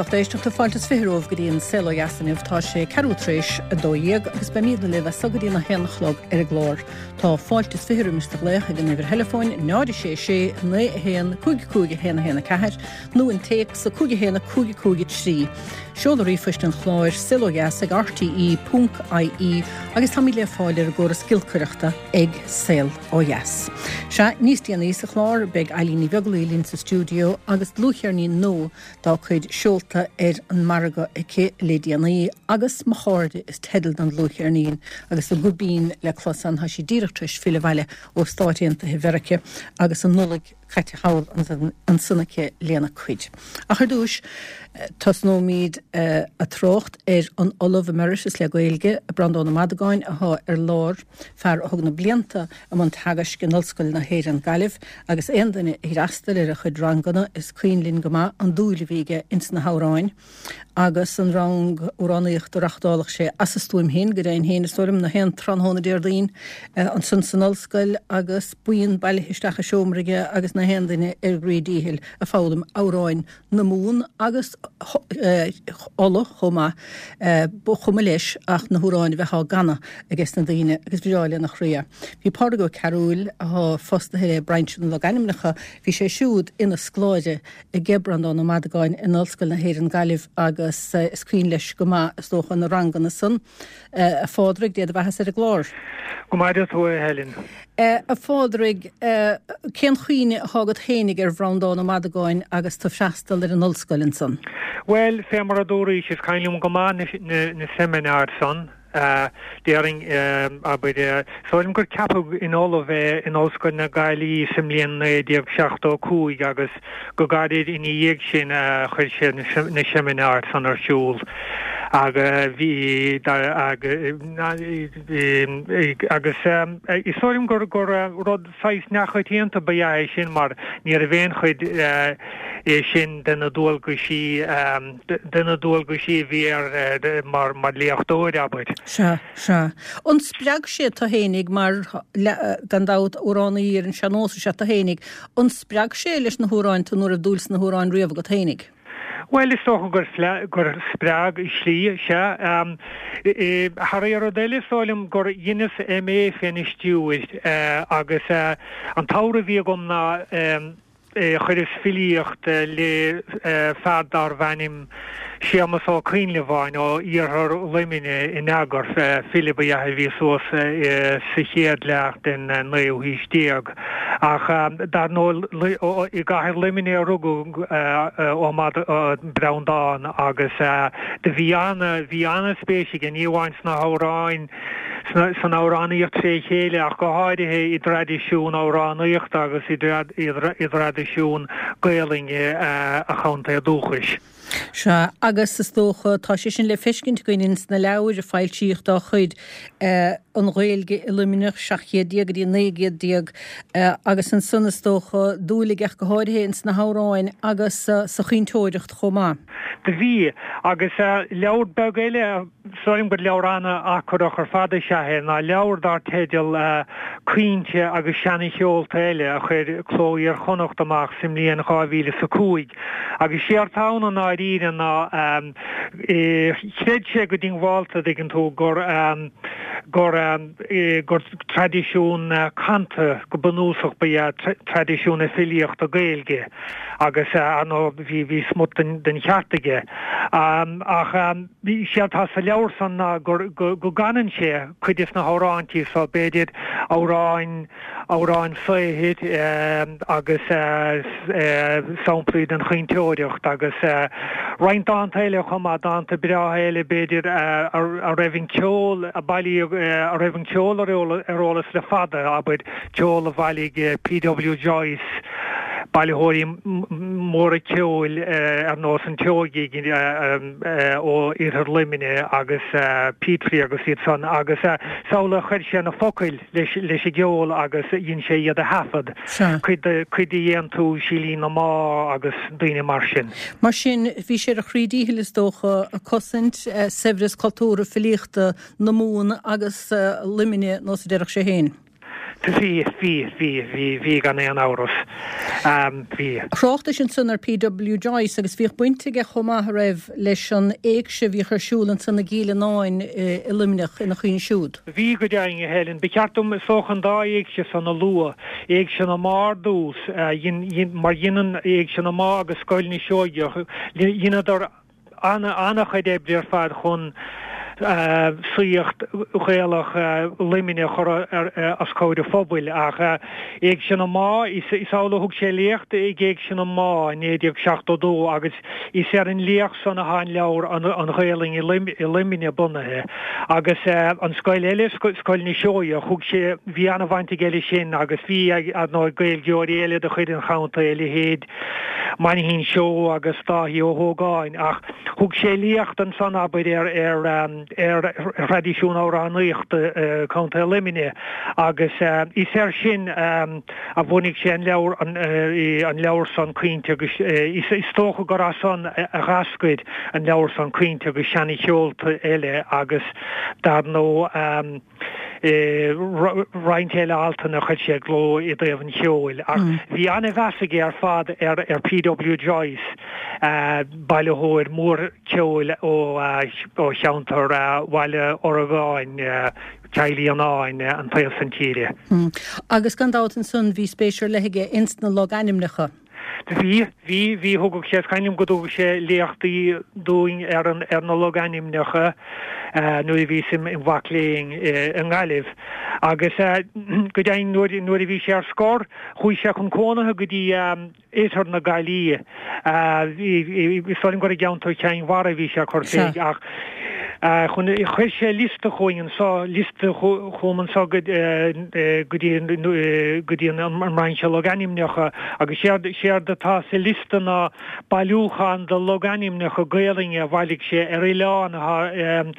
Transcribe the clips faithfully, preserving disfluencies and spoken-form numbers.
Lucht éisteachta fáilte is fiche romhaibh go dtí an Saol Ó Dheas inniu tá sé ceathrú tar éis a dó dhéag agus beimidne libh as seo go dtí a haon a chlog ar an gclár. Tá fáilte is fiche roimis do ghlaoch ag an uimhir theileafóin náid sé sé naoi a haon cúig cúig a haon a haon a ceathair nó an téacs a cúig a haon a cúig cúig a trí. Seoladh ríomhphoist an chláir saolodheas ag RTE ponc IE agus táimid le fáil ar an gcóras giolcaireachta ag Saol Ó Dheas. Sea níos déanaí sa chlár beidh Eilín Ní Bheaglaoich linn sa stiúideo agus dlúthcheirnín nua dá cuid seolta ar an margadh aici le déanaí agus mo chairde is teideal don dlúthcheirnín agus a guth binn le clos ann tá sí díreach tar éis filleadh abhaile ó Stáit Aontaithe Mheiriceá agus an Nollaig caite thall ansan aici lena cuid. Ach ar dtús tosnóimid ag trácht ar an Ollamh Emeritus le Gaeilge, Breandán Ó Madagáin atá ar lár, fear a thug na blianta i mbun teagaisc in Ollscoil na hÉireann Gaillimh agus aon duine a d'fhreastail ar a chuid ranganna is cuimhin linn go maith an dúil a bhí aige ins na hamhráin agus an rang amhránaíochta a reáchtálfadh sé as a stuaim féin go deimhin féin is dóigh liom na haon tráthnóna Déardaoin ansan san ollscoil agus buíon bailithe isteach i seomra aige agus na haon duine ar a gcroí díchill ag foghlaim amhráin na Mumhan agus Uladh chomh maith. Ba chuma leis ach na hamhráin a bheith á gcanadh aige sna daoine agus bhreá lena chroí é. Bhí Pádraig Ó Cearúil, atá fostaithe le Brainse na Logainmneacha, bhí sé siúd ina scoláire aige Breandán Ó Madagáin in Ollscoil na hÉireann Gaillimh agus is cuimhin leis go maith is dócha na ranganna san. A Phádraig, Dé do bheatha-sa ar an gclár. Go maire tú a Helen. A Phádraig, cén chuimhne atá agat fhéinig ar Bhreandán Ó Madagáin agus tú ag freastal ar an ollscoil ansan? Bhuel, fé mar a dúraís, is cuimhin liom go maith na seimineáir san. Déarfainn, abair, is dóigh liom gur ceapadh ina ollamh é in Ollscoil na Gaillimhe sa mbliain naoi déag seachtó a cúig agus go gairid ina dhiaidh sin chuir sé na seimineáir san ar siúl agus bhí agus is dóigh liom gur rud saghas neamhchoitianta ba ea é sin mar ní raibh aon chuid é sin de na dualgaisí de na dualgaisí a bhí air mar mar léachtóir, abair. Sea, sea. An spreag sé tú fhéinig mar, gan dabht, amhránaí ar an sean-nós is ea tú fhéinig, an spreag sé leis na hamhráin tú nó raibh dúil sna hamhráin riamh agat fhéinig? Bhuel, is dócha gur gur spreag i slí, sea. Thar aon rud eile, is dóigh liom gur dheineas MA féna stiúir agus an t-ábhar a bhí agam ná chuireas filíocht le fear darbh ainm Séamus Ó Coinleabháin ó iarthar Luimnigh in eagar, file ba ea a bhí suas sa chéad leath den naoú haois déag. Ach dar ndóigh i gcathair Luimnigh a rugadh Ó Breandán agus do bhí ana, bhí ana-spéis aige ní amháin sna hamhráin, san amhránaíocht tré chéile ach go háirithe i dtraidisiún amhránaíochta agus i dtraidisiún Gaelainne a chontae dúchais. Sea, agus is dócha, tá sé sin le feiscint againn ins na leabhair a foilsíodh dá chuid, An Ghaeilge i Luimneach, seacht gcéad déag go dtí naoi gcéad déag, agus ansan is dócha, dúil aige ach go háirithe ins na hamhráin agus sa chaointeoireacht chomh maith. Do bhí, agus leabhar beag eile a. Is dóigh liom gur leabhar an-achrannach ar fad is ea é ná leabhar dar teideal Caointe agus Seana-Cheolta Eile a chuir Cló Iar-Chonnacht amach sa mbliain dhá mhíle is a cúig. Agus séard tá ann i ndáiríre ná chreid sé go diongbháilte, a dtuigeann tú, gur gur gur traidisiún canta go bunúsach ba ea traidisiún na filíochta Gaeilge agus ar ndóigh bhí bhí smut den den cheart aige. Ach séard tá sa leabhar san ná gur go gcanann sé cuid des na hamhráintí so, b'fhéidir amhráin, amhráin saothair agus samplaí den chaointeoireacht agus roinnt dánta eile chomh maith, dánta breátha eile b'fhéidir a raibh an ceol a bailíodh, a raibh an ceol ar eolas le fada, abair, ceol a bhailigh P.W. Joyce, bailitheoirí móra ceoil ar nós an tSeoighigh ó iarthar Luimnigh agus Petrie agus iad san agus is amhlaidh a chuir sé na focail leis an gceol agus dhein sé iad a thaifead, cuid de dhéantús Shílín na Má agus daoine mar sin. Mar sin, bhí sé ar a chroí díchill is dócha, ag cosaint saibhreas cultúrtha filíochta na Mumhan agus Luimnigh, nós a déarfadh sé féin. Bhí, bhí, bhí, bhí, bhí gan aon amhras. Bhí. Thráchtais ansan ar P W Joyce agus bhíodh baint aige chomh maith a raibh leis an éigse a bhíodh ar siúl ansan i gCill Fhionáin i Luimneach ina chuimhne siúd. Bhí go deimhin, a Helen. Ba cheart dom is dócha an dá éigse san a lua, Éigse na mBá ar dtús, mar dhein an Éigse na mBá agus Scoil na Seoigeach, dheineadar an-chuid oibre ar fad chun saíocht Ghaelach Luimnigh a chur os comhair an phobail. Ach Éigse na mBá, is amhlaidh a thug sé léacht ag Éigse na mBá i naoi déag seachtó dó agus is ar an léacht san atá an leabhar An Ghaelainn i Luimneach bunaithe. Agus an scoil eile, Scoil na Seoigheach, thug sé, bhí an-bhaint aige leis sin agus bhí, ar ndóigh, Gaeilgeoirí eile de chuid an chontae, a leithéid Mainchín Seoighe agus Dáithí Ó hÓgáin, ach thug sé léacht ansan, abair, ar ar thraidisiún amhránaíochta Chontae Luimnigh agus is air sin a bhunaigh sé an leabhar an leabhar san Caointe agus is dócha gur as san a d'eascair an leabhar san Caointe agus Seana-Cheolta Eile agus dar ndóigh roinnt eile altanna a chuir sé i gcló i dtaobh an cheoil. Ach bhí an-mheas aige ar fad ar ar P W Joyce, bailitheoir mór ceoil ó ó cheantar Bhaile Orgáin, Cill Fhionáin, an taobh san tíre. Agus gan dabht ansan bhí spéis ar leith aige ins na logainmneacha. Bhí, bhí, bhí, thugadh sé, is cuimhin liom go dtugadh sé léachtaí dúinn ar an, ar na logainmneacha nuair a bhíos im mhac léinn i nGaillimh. Agus go deimhin nuair, nuair a bhí sé ar scor, chuaigh sé chun cónaithe go dtí oirthear na Gaillimhe. Is dóigh liom gur i gceantar Chinn Mhara a bhí sé ag cur fé ach chun, chuir sé liosta chugainn anseo, liosta chugam anseo go dtí go dtí an mBrainse Logainmneacha agus séard séard atá sa liosta ná bailiúchán de logainmneacha Gaelainne a bhailigh sé ar oileán atá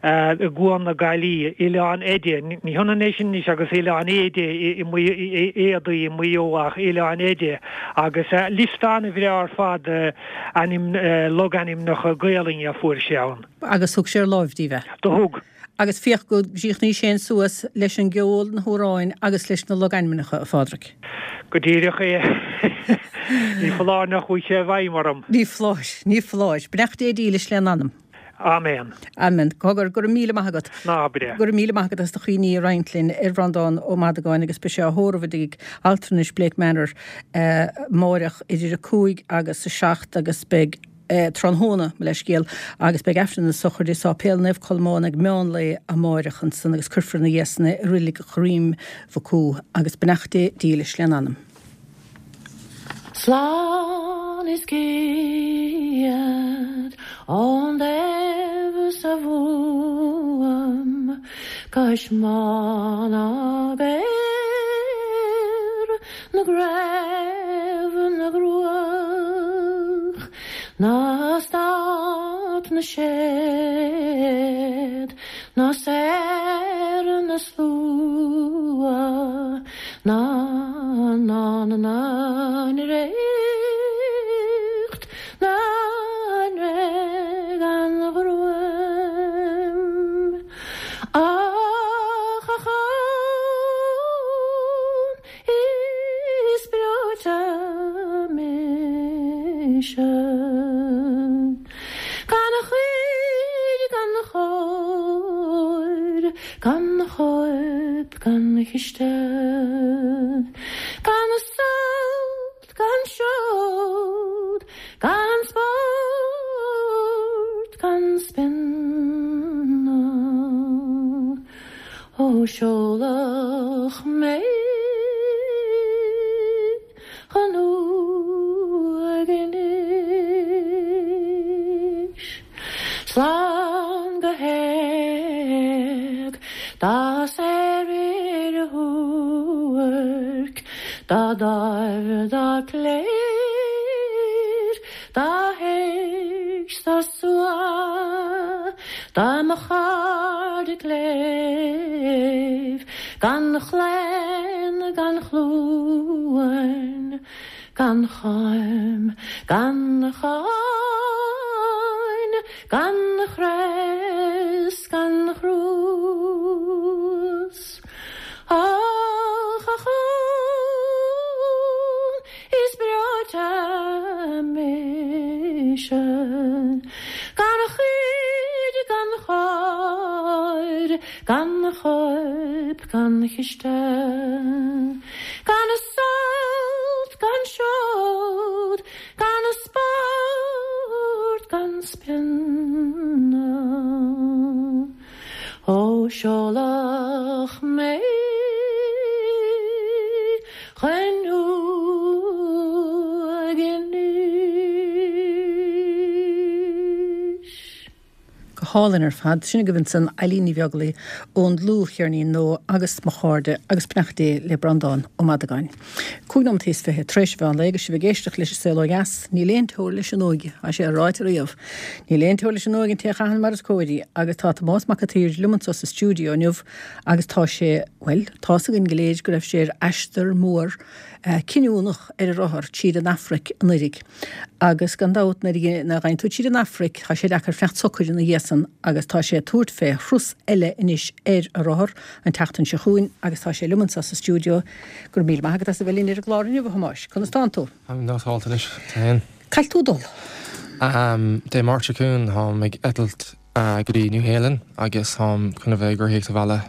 i gCuan na Gaillimhe, Oileán Eide. Ní hionann é sin anois agus Oileán Éide i Éadaí i Maigh Eo ach Oileán Eide agus liosta an-bhreá ar fad de ainm logainmneacha Gaelainne a fuair sé ann. Agus thug sé ar láimh daoibh é? Do thug. Agus féach go gcríochnaigh sé suas leis an gceol, na hamhráin agus leis na logainmneacha, a Phádraig. Go díreach é. Ní foláir nach bhfuil sé i bhfeidhm orm. Ní foláir, ní foláir. Beannacht Dé dílis lena anam. Amen. Amen. Cogar, go raibh míle maith agat. Ná habair é. Go raibh míle maith agat as do chuimhní a roinnt linn ar Bhreandán Ó Madagáin agus beidh sé á thórramh i dtigh altranais Blake Manor amáireach idir a cúig agus a seacht agus beidh tráthnóna, mo leithscéal, agus beidh Aifreann na sochraide i Sáipéal Naomh Colmán ag meán lae amáireach ansan agus cuirfear ina dhiaidh san é i Reilig Dhroim Mhucú agus beannacht Dé dílis lena anam. Slán is céad ón daimh sa Mhumhain cois mná ná géar na gcraobh na gcruach ná stát na séad ná saor na slua ná ná na na ríocht ná gan ghruaim ach a chlann is breoite mise gan chuid gan chóir gan chóip gan chiste gan sult gan seod gan spórt gan spionna ó seoladh mé chun uaignis slán go héag dá saoire shuairc dá dáimh dá cléir dá héigse dá slua dá mo chairde cléibh gan chlaon gan chluain gan choim gan cháin gan chreas gan chruas. Ach Gan chiste Gan a sult gan seod Gan a sport gan spionadh Ó seoladh mé chun uaignis. Go hálainn ar fad. Sin agaibh ansan Eilín Ní Bheaglaoich ón dlúthcheirnín nua agus Mo Chairde agus Beannacht Dé le Breandán Ó Madagáin. Cúig nóiméad is fiche tar éis mheán lae agus sibh ag éisteacht leis an Saol Ó Dheas. Níl aon teora leis an óige, tá sé ráite riamh. Níl aon teora leis an óige an té a chaitheann mar is cóir í agus tá Tomás Mac an tSaoir liom anso sa stiúideo inniu agus tá sé, bhuel, tá's againn go léir go raibh sé ar aistear mór cinniúnach ar a rothar tríd an Afraic anuraidh. Agus gan dabht nuair a ghabhann tú tríd an Afraic tá sé deacair fanacht socair ina dhiaidh san agus tá sé ag tabhairt fé thuras eile anois ar a rothar an tseachtain seo chugainn agus tá sé liom anso sa stiúideo. Go raibh míle maith agat as a bheith linn ar an gclár inniu, a Thomáis. Conas tánn tú? Táim nótálta anois, tá féin. Cá bhfuil tú ag dul? Dé Máirt seo chugainn táim ag eitilt go dtí New Shéalainn agus táim chun a bheith ag rothaíocht abhaile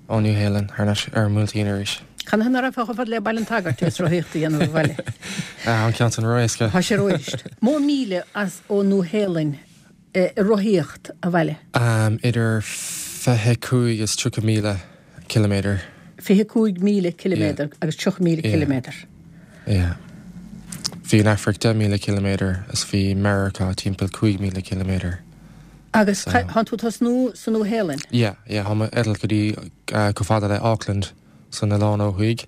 ó New Shéalainn thar n-ais ar an mBuailtín arís. Canathaobh ná raghfá chomh fada le Baile an tSagairt is rothaíocht a dhéanamh abhaile? An ceann san ró-éasca. Tá sé ró-éasca. Mó míle as ó Nua Shéalainn i rothaíocht abhaile? Idir fiche cúig is tríocha míle ciliméadar. Fiche cúig míle ciliméadar agus tríocha míle ciliméadar. Yeah. Bhí an Afraic deich míle ciliméadar is bhí Meiriceá timpeall cúig míle ciliméadar. Agus tánn tú ag tosnú sa Nua Shéalainn? Yeah, yeah, táim ag eitilt go dtí chomh fada le Auckland san oileán ó thuaidh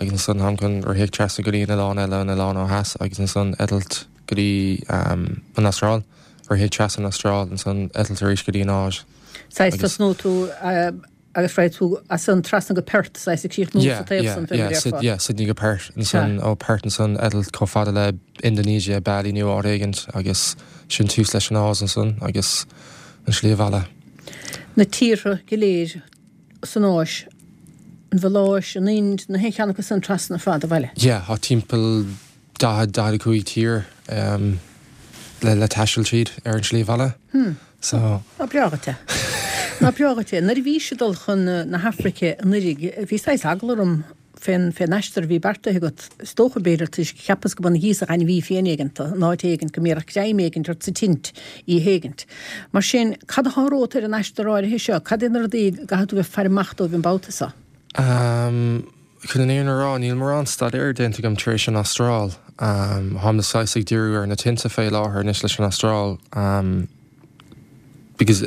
agus ansan táim chun rothaíocht trasna go dtí an oileán eile an oileán ó theas agus ansan eitilt go dtí an Astráil, rothaíocht trasna an Astráil ansan eitilt arís go dtí an Áis. Saghas tosnóidh tú agus raghaidh tú as san trasna go Perth, saghas ag críochnú sa taobh san fé mar a déarfá. Yeah, Sydney go Perth ansan ó Perth ansan eitilt chomh fada le Indonesia, Bali nó áit éigint agus sin tús leis an Áis ansan agus an slí abhaile. Na tíortha go léir san Áis, an Mhaláis, an Ind, na haon cheann acu san trasna ar fad abhaile. Yeah, tá timpeall daichead, daichead a cúig tír le le taisteal tríd ar an slí abhaile. Hmm. So. Ná breá dhuit é. Ná breá dhuit é. Nuair a bhís ag dul chun na hAfraice anuraidh, bhí saghas eagla orm fén fén aistear a bhí beartaithe agat. Is dócha, b'fhéidir, toisc cheapas go mba ina ghíosach ainmhí fiáin éigint in áit éigint, go mbéarfadh greim éigint ort sa tint oíche éigint. Mar sin, cad atá romhat ar an aistear áirithe seo? Cad é na rudaí go gcaithfidh tú bheith ag faire amach dóibh an babhta seo? Chun an fhírinne a rá, níl mórán staidéir déanta agam tar éis an Astráil. Táim saghas ag díriú ar na tinte fé láthair anois leis an Astráil. Because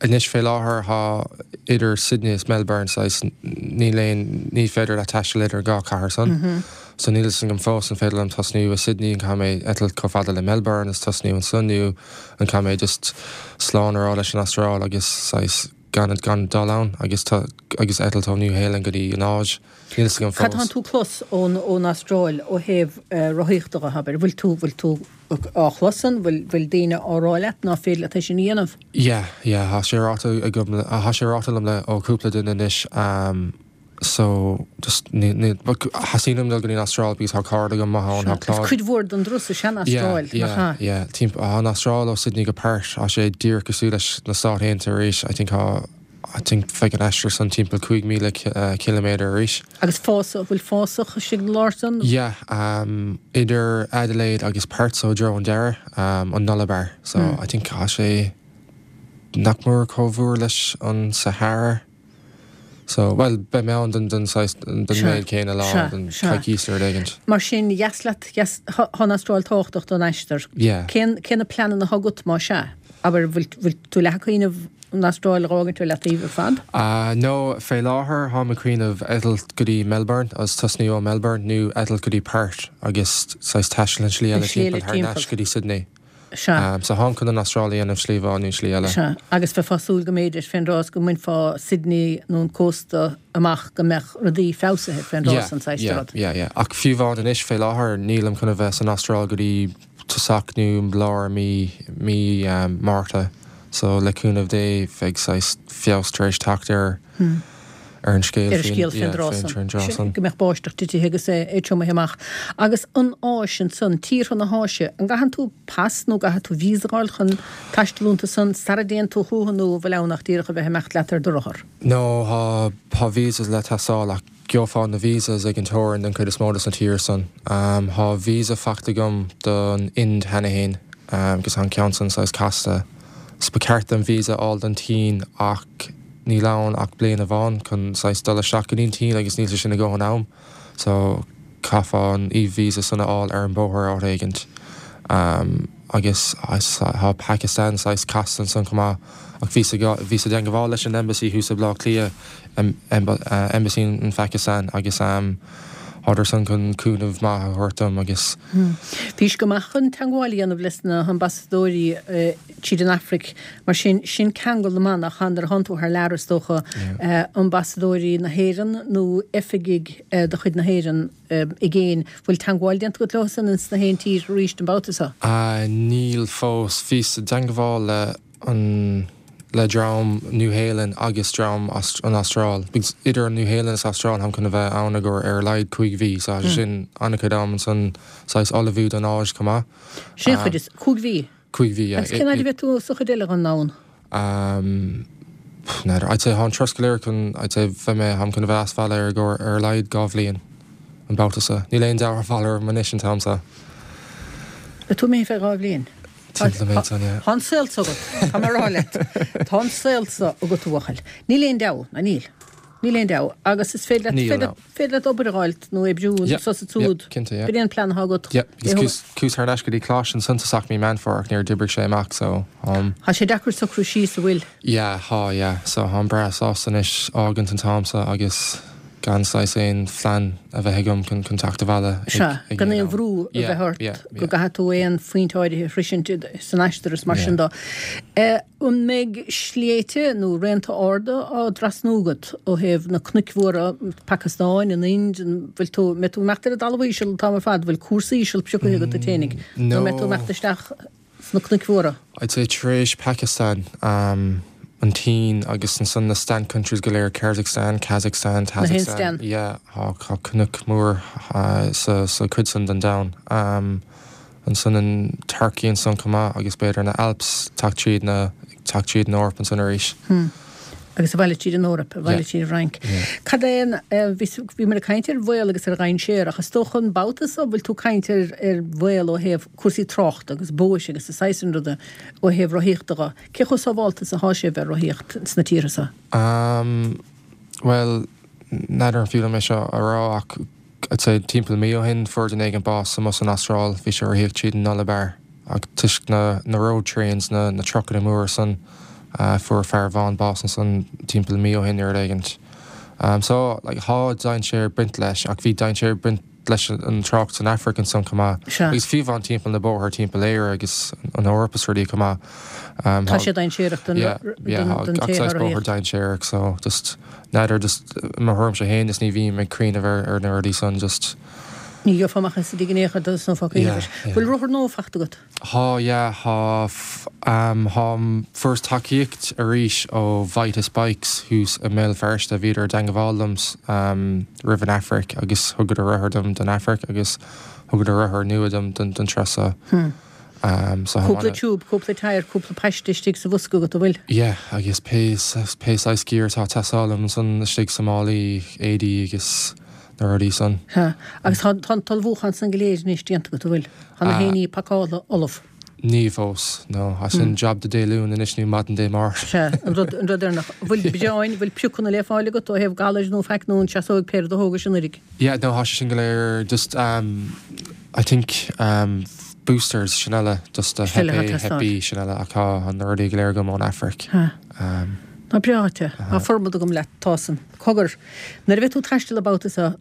anois fé láthair tá idir Sydney is Melbourne saghas níl aon ní féidir leat taisteal idir dhá chathair san. So níl fhios agam fós an féidir liom tosnú i Sydney an caithfidh mé eitilt chomh fada le Melbourne is tosnú ansan nó an caithfidh mé just slán a rá leis an Astráil agus saghas gan gan dul ann agus tá agus eitilt ó New Shéalainn go dtí an Áis. Níl fhios agam Cad fós. tánn tú clos ón ón Astráil ó thaobh rothaíochta dhe, abair? Bhfuil tú bhfuil tú á chlos san? Bhfuil bhfuil daoine á rá leat ná féidir leat é sin a dhéanamh? Yeah, yeah, tá sé ráite agam tá sé ráite liom le ó cúpla duine anois um so just ní ní theastaíonn uaim dul go dtí an Astráil because tá cairde agam maith ann, tá Sea, is Claude. cuid mhór den dturas is ea an Yeah, Astráil, nach yeah, ea? yeah, timp tá an Astráil ó Sydney go Perth, tá sé díreach cosúil leis na Stáit Aontaithe arís, I think tá I think bheadh an aistear san timpeall cúig míle ciliméadar arís. Agus fásach, bhfuil fásach istigh na lár san? Yeah, um, idir Adelaide agus Perth so i dtreo an deireadh, um, an Nullarbor. So Hmm. I think tá sé nach mór chomh fuar leis an Sahara. So, well, beidh mé ann don don saghas don Sea, méid céanna lá sea, don sea. coicís nó rud éigint. Mar sin, dheas leat, dheas, tá an Astráil tábhachtach don aistear. Yeah. Cén, cé na pleananna atá agat má sea? Abair, bhfuil, bhfuil tú leath ag cuimhneamh an Astráil a dh'fhágaint ar leataobh ar fad? Uh, no, fé láthair táim ag cuimhneamh eitilt go dtí Melbourne agus tosnú ó Melbourne nó eitilt go dtí Perth agus saghas taisteal an slí An eile slí eile timpeall thar n-ais timpeall. go dtí Sydney. Sea. Um, so táim chun an Astráil a dhéanamh slí amháin nó slí eile. Sea, agus bheifeá ag súil go mb'fhéidir fén dtráth is go mbainfeá Sydney nó an cósta amach go mbeadh rudaí feabhsaithe fén dtráth Yeah, san saghas yeah, rud. yeah, yeah. Ach fiú amháin anois fé láthair nílim chun a bheith san Astráil go dtí tosach nó lár mí mí um, Márta. So le cúnamh Dé bheidh saghas feabhas tar éis teacht ar Hmm. ar an scéal ar an scéal faoin dtráth san. Go mbeadh báisteach titithe agus é é triomaithe amach. Agus an Áis ansan, tíortha na hÁise, an gcaitheann tú pas nó gcaithfidh tú visa a fháil chun taisteal iontu san sara dtéann tú chucu nó an bhfuil ann ach díreach a bheith ag imeacht leat ar do rothar? No, thá thá visas le teastáil ach gheofá na visas ag an teorainn den chuid is mó de sna tíortha san. Thá visa faighte agam don Ind cheana féin agus thá an ceann san saghas casta. 's ba cheart dom visa a fháil don tSín ach níl ann ach bliain amháin chun saghas dul isteach go dtí an tSín agus níl sé sin a dhóthain am so caithfeá an e-visa san a fháil ar an bóthar áit éigint. Agus thá Pakistan saghas casta ansan chomh maith ach bhíos bhíos i dteangabháil leis an embassy thuas i Bleá Cliath, embassy an Phakistan agus thádar san chun cúnamh maith a thabhairt dom agus. Bhís go maith chun teangmháil a dhéanamh leis na hambasadóirí tríd an Afraic, mar sin, sin ceangal na manach nuair a thánn tú thar lear is dócha, ambasadóirí na hÉireann nó oifigigh de chuid na hÉireann i gcéin. Bhfuil teangmháil déanta agat leo san ins na haon tír arís an babhta seo? Níl fós. Bhíos i dteangmháil le an le dream Nua-Shéalainn agus dream an Astráil. Because idir an Nua-Shéalainn is Astráil táim chun a bheith ann i gcomhair ar a laghad cúig mhí, so tá sé sin an-chuid am ansan saghas ullmhú don Áis chomh maith. Sin an chuid is, cúig mhí? Cúig mhí, yeah. Agus cén fhaid a bheidh tú sa chuid eile den domhan? Um, n'fheadar. I'd say thá an turas go léir chun, I'd say bheidh mé, táim chun a bheith as bhaile ar i gcomhair ar a laghad dhá bhliain an babhta seo. Níl aon deabhadh ar orm anois an t-am seo. Beidh tú imithe fé dhá bhliain? Timpeall an méid san, yeah. Tá an saol so agat, tá mé a rá leat. Tá an saol so agat, a bhuachaill. Níl aon deabhadh, ná níl. Níl aon deabhadh. Agus is féidir leat, Níl, féidir no. féidir leat obair a dh'fháilt nó oibriú Yeah, anso is yeah, ansiúd. cinnte, yeah. B'in é an plean atá agat. Yeah, agus É chuas, chuas thar n-ais go dtí coláiste ansan tosach mí Meán Fómhair ach níor d'oibrigh sé amach, so, um, Tá sé deacair socrú síos a bhfuil. Yeah, thá, yeah. So tháim breá sásta anois fhágaint an t-am so agus gan saghas aon phlean a bheith agam chun chun teacht abhaile ag Sea, ag gan aon aon am. bhrú a Yeah, bheith ort yeah, go yeah. gcaithfidh tú aon phointe áirithe a shroisint san aistear is mar Yeah. sin dó. Eh, an mbeidh sléibhte nó raonta arda á dtrasnú agat ó thaobh na cnoic mhóra, Phacastáin, an Ind, an bhfuil tú, mbeidh tú ag imeacht ar an dtalamh íseal an t-am ar fad, bhfuil cúrsa íseal pioctha agat duit fhéinig? Nó mbeidh tú ag imeacht isteach sna cnoic mhóra? I'd say tar éis Pakistan, um, an tSín agus ansan na stan countries go léir, Kyrgyzstan, Kazakhstan, Tajikistan. Yeah, thá thá cnoc mór uh, sa sa chuid san den domhan. Um, ansan an Turkey ansan chomh maith agus b'fhéidir na Alps teacht tríd na teacht tríd an Eoraip ansan arís. Hmm. Agus abhaile tríd an Eoraip, abhaile Yeah. tríd an Fhrainc. Yeah. Cad é an, eh, bhí bhí muid ag caint ar bhaol agus ar dhainséar ach is dócha an babhta so bhfuil tú ag caint ar ar bhaol ó thaobh cúrsaí tráchta agus bóithre agus a saghas sin ruda ó thaobh rothaíochta dho. Cé chomh sábháilte is atá sé bheith rothaíocht sna tíortha seo? Um, well, n'fheadar an fiú liom é seo a rá ach I'd say timpeall mí ó shin fuair duine éigin bás amuigh san Astráil, bhí sé ag rothaíocht tríd an Nullarbor ach toisc na na road trains na na trucanna móra san uh, fuair fear amháin bás ansan timpeall mí ó shin ar éigint. Um, so like, thá dainséar ag baint leis ach bhí dainséar ag baint leis an trácht san Afraic ansan chomh maith. Sea. Agus fiú amháin timpeall na bóthar timpeall Éire agus an Eoraip is rudaí chomh maith. Um, Tá thá- sé dainséarach don Yeah, yeah, don don gach té saghas a bóthar rothaíocht. dainséarach, so just n'fheadar just mo thuairimse féin is ní bhím ag cuimhneamh ar ar na rudaí san just Ní gheofá amach as i gnécha dos nó fá Yeah, cuimhneamh. yeah. Bhfuil rothar nua faighte agat? Thá yeah, thá f- um, thá fuaireas tacaíocht arís ó Vitus Bikes thuas i mBéal Feirste bhíodar i dteangabháil liom um, roimh an Afraic agus thugadar rothar dom don Afraic agus thugadar rothar nua dom don don turas seo. Hmm. Um, so Cúpla tha tiúb, cúpla tyre, cúpla paiste istigh sa bhosca agat a bhfuil. Yeah, agus pé pé saghas gear atá ag teastáil liom san istigh sa málaí éadaí agus na rudaí san. Ha, agus tá tá an t-ullmhúchán san go léir anois déanta agat a bhfuil. Tá na Ah. héiní pacála ullamh. Ní fós, no, as sin job do Dé Luain anois nó maidin Dé Máirt. Se, an rud an rud deireanach. Bhfuil breáin, bhfuil piocanna le fáil agat ó thaobh galair nó feic nó an seasóidh péire do thógais an uirig. Yeah, no, thá sé sin go léir just um, I think um, boosters sin eile just a Sin eile Hep A, atá Hep B sin eile ach tá an rudaí go léir agam ón Afraic. Ha. Um, Ná breáte, Tá formad agam leat tásan. Cogar, nuair a bheidh tú ag taisteal an babhta seo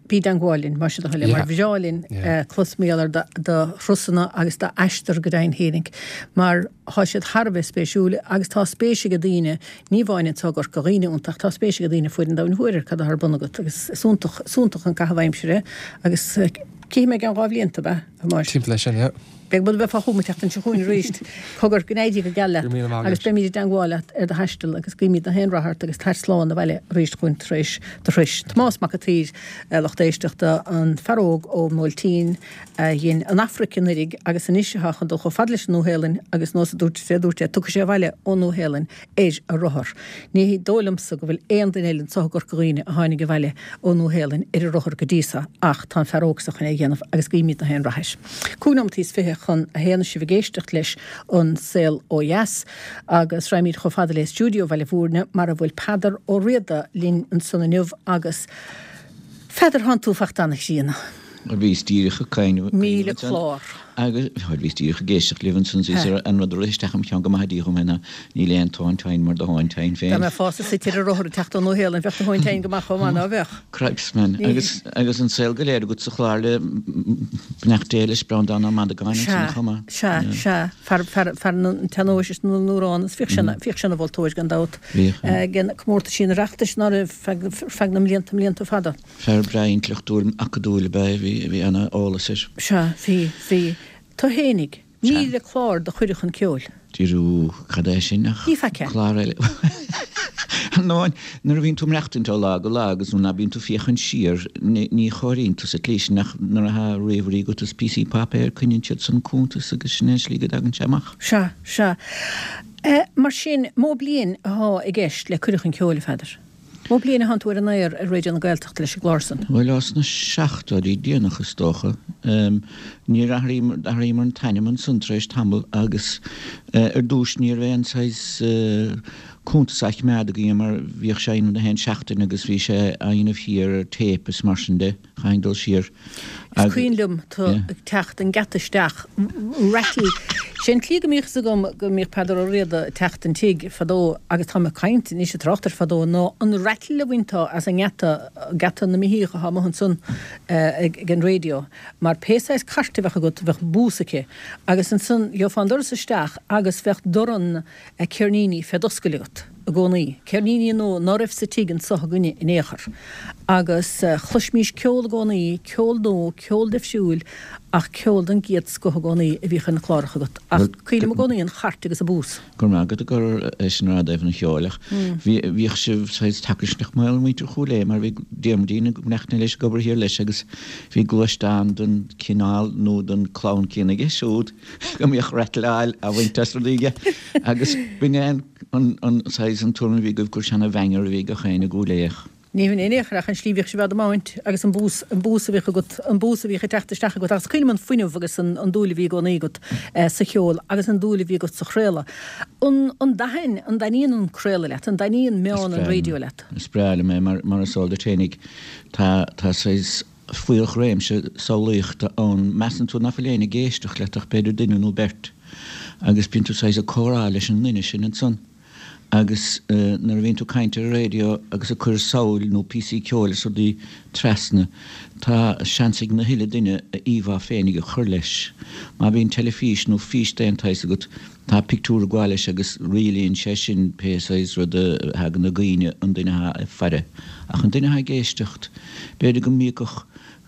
bí i dteangmháil linn mar sin le Yeah. mar bhreá linn Yeah. clos mar gheall ar do thurasanna agus d'aistear go deimhin fhéinig, mar thá siad thar a bheith spéisiúil agus tá spéis ag daoine ní amháin anseo i gCorca Dhuibhne iontach tá spéis ag daoine fuaid an domhain thoir cad atá ar bun agat agus is iontach iontach an caitheamh aimsire agus cífidh mé i gceann dhá bhlianta be mar. Timpeall leis sin, yeah. Beag bud a bheifeá chugam an tseachtain seo chugainn arís. Cogar, go n-éirí go geal leat. Go raibh míle maith Agus agat. beimid i dteangmháil leat ar do thaisteal agus guímid na haon rath ort agus tar slán abhaile arís chugainn tar éis do thurais. Tomás Mac an tSaoir, a lucht éisteachta, an fear óg ón mBuailtín a dhein an Afraic anuraidh agus anois atá chun dul chomh fada leis an Nua-Shéalainn agus nós a dúirt sé, dúirt sé, tiocfaidh sé abhaile ón Nua-Shéalainn ar a rothar. Ní dóigh liomsa go bhfuil aon duine eile anseo i gCorca Dhuibhne a tháinig abhaile ón Nua-Shéalainn ar a rothar go dtí seo ach tá an fear óg seo chun é a dhéanamh agus guímid na haon rath air. Cúig nóiméad is fiche chun a haon sibh ag éisteacht leis an Saol Ó Dheas agus raghaimid chomh fada le stiúideo Bhaile Bhúirne mar a bhfuil Peadar Ó Riada linn ansan inniu agus Pheadair thánn tú fachta an-chríonna. Bhíos díreach ag caoineadh Míle clár. Agus bhíos díreach ag éisteacht libh ansan is an rud a rith isteach im cheann go maith díom ná níl aon tóin tine mar do thóin tine Dá féin. mbeifeása suite ar rothar ag teacht ón Nua-Shéalainn bheadh do thóin tine go maith chomh maith ná bheadh. Cripes man agus agus an saol go léir agat sa chlár le beannacht Dé leis Breandán Ó Madagáin Sea, ansan chomh maith. sea, sea, fear fear fear an tsean-nóis is na n-amhrán is bhíodh sé bhíodh sé ina mholtóir gan dabht. Bhíodh, yeah. Ag an comórtas sin Oireachtais ná raibh feadh feadh na mblianta mblianta fada. Fear breá intleachtúil acadúil ab ea bhí bhí an-eolas air. Sea, bhí, bhí. Tú fhéinig, míle clár de Chuireadh chun Ceoil. Díriú cad é sin ach Ní feice. clár eile. No, nuair a bhíonn tú maireachtaint ó lá go lá agus nó bíonn tú féachaint siar ní ní chomhaireann tú sa tslí sin ach nuair atá ríomhairí agat is píosaí páipéir coinníonn siad san cuntas agus sin é an slí go dtagann sé amach. Sea, sea. Eh, mar sin, mó bliain atá i gceist le Cuireadh chun Ceoil, a Pheadair. Mó bliain a thánn tú ar an aer ar Raidió na Gaeltachta leis an gclár san. Bhuel as na seachtóidí déanach is dócha. Um, níor athraíomar an t-ainm ansan tar éis tamall agus uh, ar dtús ní raibh aon saghas uh, cuntas á choimeád againn mar bhíodh sé na haon seachtain agus bhí sé á dhéanamh thiar ar tape is mar sin de chaithfinn dul siar. Is cuimhin liom tú Yeah. ag teacht an geata isteach rattle. Sé an tslí go mbíodh fhios agam go mbíodh Peadar Ó Riada ag teacht an tigh fadó agus tá mé ag caint anois ag trácht ar fadó ná an rattle a bhainteá as an ngeata geata na míthíoch atá amuigh ansan eh, ag ag an raidió, mar pé saghas cairt a bheadh agat bheadh bús aici agus ansan gheofá an doras isteach agus bheadh dorn eh, ceirníní fé d'oscailt agat i gcónaí. Ceirníní nó ná raibh sa tigh anseo againne in aon chor. Agus uh, chloismís ceol i gcónaí, ceol nua, ceol difriúil ach ceol den gcéad scoth i gcónaí a bhíodh ar na cláracha agat. Ach Well, cuimhním i gcónaí an chairt agus an bús. Gur maith agat gur é sin rud an cheoil ach bhí bhíodh sibh saghas tacaisneach mail muintir Chúil Aodha mar bhí Diarmuidín neachna leis ag obair thiar leis agus bhí gluaisteán den chineál nó den chlann céanna aige siúd go mbíodh rattle á bhaint as rudaí aige agus b'in é an an an saghas an tuairim a bhí agaibh gur seana bhanger a bhí gach éinne i gCúil Aodha. Ní hin aon chor ach an slí bhíodh sibh á dtiomáint agus an bús an bús a bhíodh agat an bús a bhíodh ag teacht isteach agat agus cuimhním an fuinneamh agus an, an dúil a bhí i gcónaí agat eh, sa cheol agus an dúil a bhí agat sa chraoladh. An, an dtaitníonn an dtaitníonn an craoladh leat, an dtaitníonn meán an raidió leat. Is breá liom é mar mar is eol duit fhéinig tá tá saghas fuíollréimse samhlaíochta ann measann tú nach bhfuil éinne ag éisteacht leat ach b'fhéidir duine nó beirt agus bíonn tú saghas ag comhrá leis an duine sin ansan. Agus uh, nuair a bhíonn tú ag caint ar an raidió agus ag cur samhail nó píosaí ceoil is rudaí trasna, tá seans ag na huile duine a íomhá féinig a chur leis. Má bhíonn teilifís nó fís d'aon tsaghas agat tá pictiúr ag gabháil leis agus rialaíonn sé sin pé saghas rud a thagann i gcuimhne an duine atá ag faire. Ach an duine atá ag éisteacht, b'fhéidir go mbíodh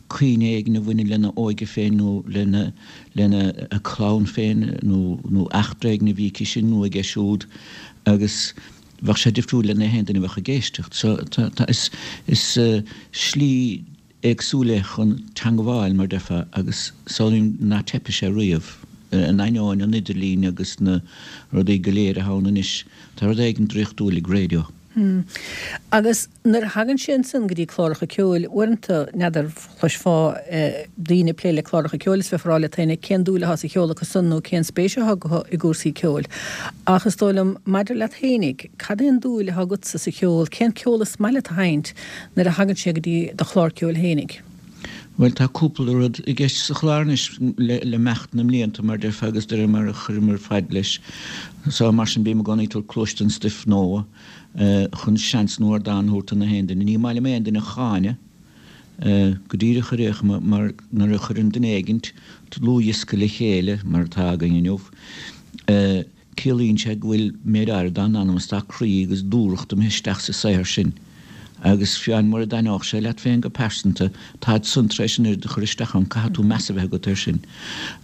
cuimhne éigin a bhaineann lena óige féin nó lena lena a clann féin nó nó eachtra éigin a bhí aici sin nó aige siúd agus bheadh sé difriúil lena haon duine a bheadh ag éisteacht. So tá, tá, is, is uh, slí éagsúil é chun teagmháil mar defa agus samhlaím ná teipfidh sé riamh. In ainneoin an idirlín agus na rudaí go léir atá ann anois, tá rud éigin draíochtúil ag raidió. Hmm. Agus nuair a thagann sé ansan go dtí cláracha ceoil, uaireanta n'fheadar chloisfeá eh, daoine ag plé le cláracha ceoil is bheifeá ag rá leat féin cén dúil atá sa cheol acu san nó cén spéis atá acu i gcúrsaí ceoil. Ach is dóigh liom maidir leat fhéinig, cad é an dúil atá agatsa sa cheol, cén ceol is maith leat a sheinnt nuair a thagann sé go dtí do chlár ceoil fhéinig. Well tá cúpla rud i gceist sa chlár anois le, le himeacht na mblianta mar defa agus de mar a chuireamar fad leis. So mar sin bím i gcónaí ag cloistin stuif nua uh, chun seans nó ardán a thabhairt do na haon duine. Ní maith liom aon duine a cháineadh uh, go díreach a réach mar nuair a chuireann duine éigint dlúthdhiosca le chéile mar atá againn inniu. Uh, ciallaíonn sé go bhfuil méid áirithe dá anam is dá croí agus dúthracht imithe isteach sa saothar sin. Agus fiú amháin mura dtaitneodh sé leat féin go pearsanta, táid san tar éis an oiread a chur isteach ann, caithfidh tú meas a bheith agat air sin.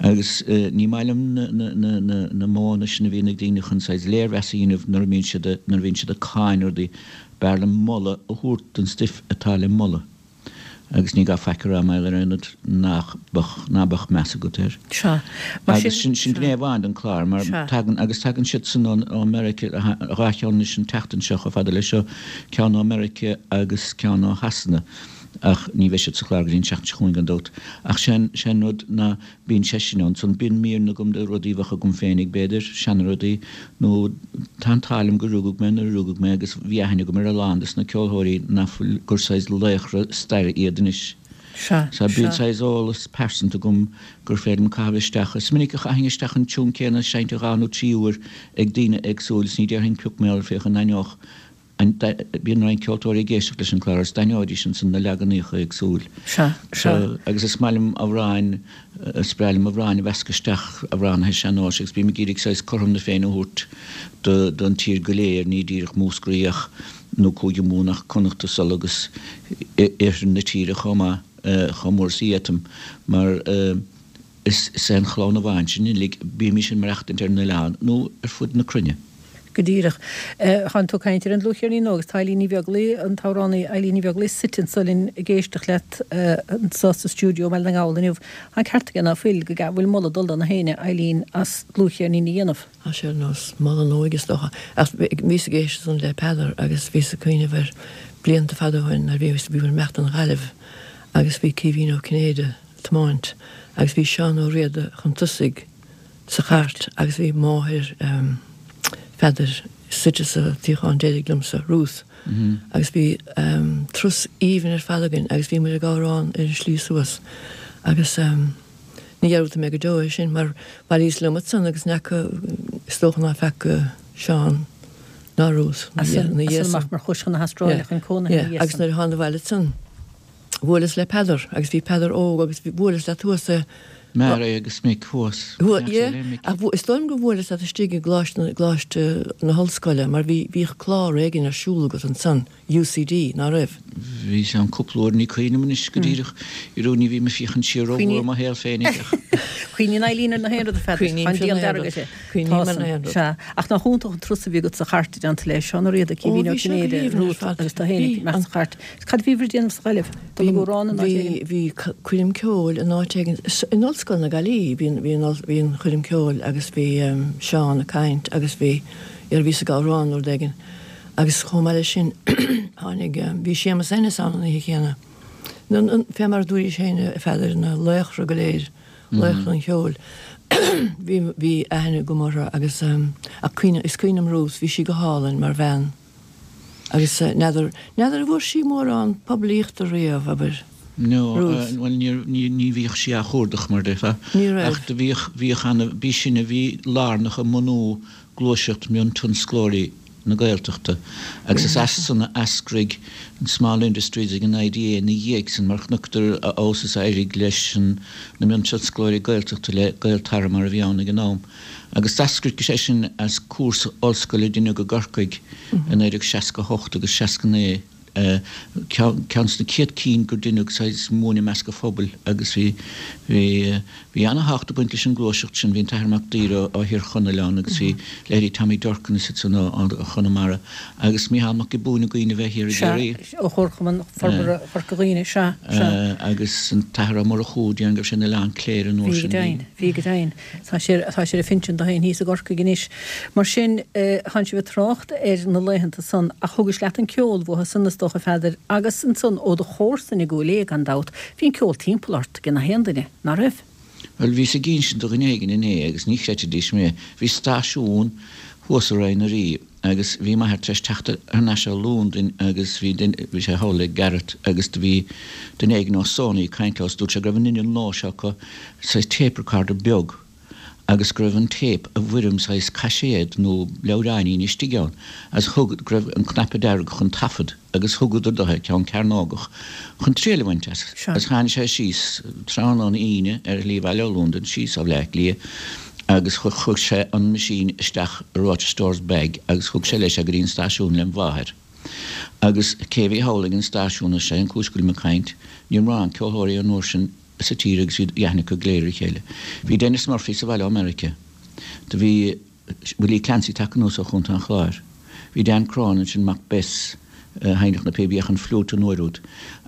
Agus ní maith liom na, na, na, na, na modhanna sin a bhíonn ag daoine chun saghas léirmheas a dhéanamh nuair a mbíonn siad, nuair a bhíonn siad ag cáineadh rudaí. B'fhearr liom moladh a thabhairt don stuif atá le moladh. Agus ní gá faic a rá mar gheall ar aon rud nach beadh, ná beadh meas agat air. Sea. Mar Agus sin, sin, sin sea. gné amháin den chlár, mar Sea. tagann, agus tagann siadsan ó, ó Meiriceá, dhá cheann anois an tseachtain seo chomh fada leis seo, ceann ó Meiriceá agus ceann ó Shasana, ach ní bheidh siad sa chlár go dtí an tseachtain seo chugainn gan dabht. Ach sé'n, sé'n rud ná bíonn sé sin ann. Ansan bíonn míreanna agam de rudaí a bheadh agam féinig, b'fhéidir, seana-rudaí, nó tá an t-ádh liom gur rugadh mé nuair a rugadh mé agus bhí aithne agam ar a lán des na ceolthóirí nach bhfuil, gur saghas laochra staire iad anois. Sea, So bíonn sea. saghas eolas pearsanta agam gur féidir liom caitheamh isteach. Is minic a chaithfinn isteach an tiún céanna seinnte dhá nó trí uair ag daoine éagsúil is ní déarfainn pioc mar gheall air féach an n-aithneodh An, bíonn roinnt ceoltóirí ag éisteacht leis an clár agus d'aithneoidís ansan na leaganacha éagsúil. Sea, sea. Agus is maith liom amhráin, is breá liom amhráin a mheascadh isteach, amhránaithe sean-nóis agus bím ag iarraidh saghas cothrom na Féinne a thabhairt do, don tír go léir, ní díreach Múscraí ach, nó Cúige Mumhan ach Connachta is Uladh agus iarthar na tíre chomh maith, chomh mór is a d'fhéadfainn mar. Is é an chlann amháin sinn uilig, bímís ag maireachtaint ar an oileán nó ar fud na cruinne. Go díreach. Tánn tú ag caint ar an dlúthcheirnín nua agus tá Eilín Ní Bheaglaoí, an t-amhránaí Eilín Ní Bheaglaoí, suite anso linn ag éisteacht leat anso sa stiúideo i mBaile na nGall inniu. Tá an ceart aige ná fuil, go bhfuil moladh ag dul do na héinne, Eilín, as dlúthcheirnín a dhéanamh. Tá sé ar nós moladh an óige is dócha. Ach bhíos ag éisteacht ansan le Peadar agus bhíos ag cuimhneamh ar blianta fada ó shin nuair a bhíos, bhíomar ag imeacht don Ghaillimh agus bhí Caoimhín Ó Cinnéide, tiomáint agus bhí Seán Ó Riada chun tosaigh sa chairt agus bhí máthair Pheadair suite sa tsuíochán deiridh liomsa, Ruth, agus bhí turas aoibhinn ar fad againn agus bhí muid ag amhrán ar an slí suas agus ní dhearúdfaidh mé go deo é sin mar bhailíos liom ansan agus ní fhaca, is dócha ná feaca Seán ná Ruth As ina dhiaidh amach san. mar chuais chun na hAstráile chun cónaithe ina dhiaidh Agus san. nuair a thána abhaile ansan Bhuaileas le Peadar agus bhí Peadar óg agus bhuaileas leat thuas i. Mary agus Mick thuas. Thuas, yeah. Ach is dóigh liom gur bhuaileas leat istigh i gColáiste na, gColáiste na hOllscoile mar bhí, bhíodh clár éigin ar siúl agat ansan, UCD, ná raibh? Bhíos ann cúpla uair, ní cuimhin liom anois go díreach, you know, ní bhím ag féachaint siar rómhór i mo shaol féinig ach. Cuimhníonn Eileen ar na haon rud, a Pheadair. Cuimhním Tá an ar diabhal na haon dearg rud. uirthi. Cuimhním Tá ar san, na haon rud. sea. Ach nach iontach an turas a bhí agat sa chairt i dteannta le Seán Ó Riada, Ó, Caoimhín Ó bhí sé go Cinnéide, haoibhinn ar Ruth fad. agus tú féin ag Bhí imeacht an. sa chairt. Cad a bhíobhair ag déanamh sa Ghaillimh? Dul ag amhrán in áit Bhí, éigin? bhí coirm ceoil in áit éigin, in Ollscoil na Gaillimhe, bhí, bhí an, bhí an choirm ceoil agus bhí Seán ag caint agus bhí, ar bhíos ag amhrán nó rud éigin agus chomh maith leis sin tháinig, bhí Séamus Ennis ann an oíche chéanna. Na, na, fé mar a dúraís féin a Pheadair, na laochra go léir, laochra an cheoil. Bhí, bhí aithne agam orthu agus, ach cuimhne, is cuimhin liom Ruth, bhí sí go hálainn mar bhean. Agus n'fheadar, n'fheadar an bhfuair sí mórán poiblíochta riamh, abair, No, Ruth. bhuel níor, ní, ní bhíodh sí á chuardach mar déarfá. Ní raibh. Ach do bhíodh, bhíodh ana, b'í sin a bhí lárnach i mbunú gluaiseacht miontionsclóirí na Gaeltachta agus is as san a eascraigh an Small Industries ag an IDA ina dhiaidh san mar chonaiceadar a fheabhas is a éirigh leis an, na miontionsclóirí Gaeltachta le Gaeltarra mar a bhí ann ag an am. Agus d'eascraigh sé sin as cúrsa ollscoile a deineadh i gCorcaigh i naoi déag seasca a hocht agus seasca naoi, ceann de na céad cinn gur deineadh saghas múineadh i measc an phobail agus bhí, bhí, bhí ana-thábhacht ag baint leis an ngluaiseacht sin. Bhí an tAthair Mac Duibhir ó Thír Chonaill ann agus bhí leithéidí Tommy Durkan is iad san ó Chonamara agus Mícheál Mac Giobúin i gcuimhne a bheith thiar i Sea, gCiarraí. ó Chomharchumann Forbartha Chorca Dhuibhne, sea, sea. Agus an tAthair Ó Murchú, déarfainn go raibh sé in Oileán Cléire an uair Bhí go sin. deimhin, bhí go deimhin. Tá sé, tá sé ar a phinsean dó féin thíos i gCorcaigh anois. Mar sin, tánn sibh ag trácht ar na laethanta san ach thugais leat an ceol uathu san is dócha, a Pheadair, agus ansan ó do chomharsain i gCúil Aodha gan dabht, bhí an ceol timpeall ort ag na haon duine, ná raibh? Bhuel, bhíos ag insint do dhuine éigin inné agus ní chreidfidís mé. Bhí stáisiún thuas i Roinn na Rí agus bhí m'athair tar éis teacht thar n-ais ó Londain agus bhí duine, bhí sé thall le Garrett agus do bhí duine éigin ó Sony ag caint leo is dúirt sé go raibh an inneall nua seo acu, saghas tape recorder beag agus go raibh an téip i bhfoirm saghas caiséad nó leabhráinín istigh ann agus thug, go raibh an cnaipe dearg chun taifead agus thugadar do é, ceann cearnógach, chun triail a bhaint as. Sea. Agus tháinig sé síos tráthnóna Aoine ar shlí abhaile ó Londain, síos ó Bhleá Cliath agus chuir sé an machine isteach i Rochester's bag agus thug sé leis é go dtí an stáisiún lem mháthair. Agus cé bhí thall ag an stáisiún is é an cúis go bhfuilim ag caint, ní raibh mórán ceoltóirí an uair sin sa tír agus bhí aithne acu go léir ar a chéile. Bhí Denis Murphy sa bhaile ó Meiriceá. Do bhí Willie Clancy tagtha anuas ó Chontae an Chláir. Bhí Dan Cronin ansin, mac Bess, a sheinneadh na píobaí ach an fliúit an uair úd.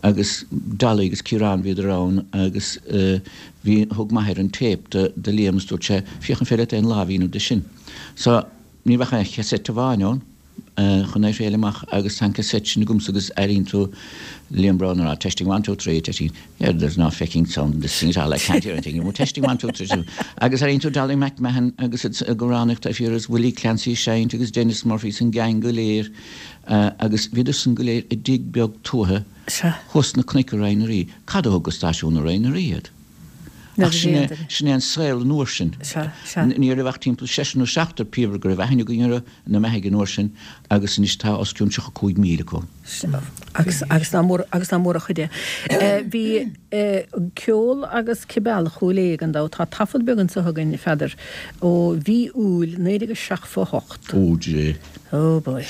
Agus Dolly agus Ciarán bhíodar ann agus bhí, thug m'athair an téip do, do Liam is dúirt sé, féach an féidir leat aon lámh a dhéanamh de sin. So, ní raibh ach aon chassette amháin ann chun é a thriail amach agus tá an cassette sin agamsa agus airíonn tú Liam Brown ag rá testing one two three testing yeah there's no fecking sound in this thing at all I can't hear anything you testing one two three agus airíonn tú Dolly McMahon agus ag amhránaíocht ar fíor is Willie Clancy ag seinnt agus Denis Murphy is an gang go léir agus bhíodar san go léir i dtigh beag tuaithe thuas sna cnoic i Roinn na Rí. Cad a thug go stáisiún i Roinn na Rí iad? Ach sin é, sin é an saol an uair sin. Ní raibh ach timpeall seisear nó seachtar píobaire go raibh aithne againn orthu ina mbeathaidh an uair sin agus anois tá os cionn tríocha cúig míle acu. Agus, agus nach mór, agus nach mór an chuid é. Bhí ceol agus Ceol Chúil Aodha gan dabht. Tá taifead beag anseo againn, a Pheadair, ó mhí Iúil naoi déag a seachtó a hocht. Ó Dhia. Oh boy.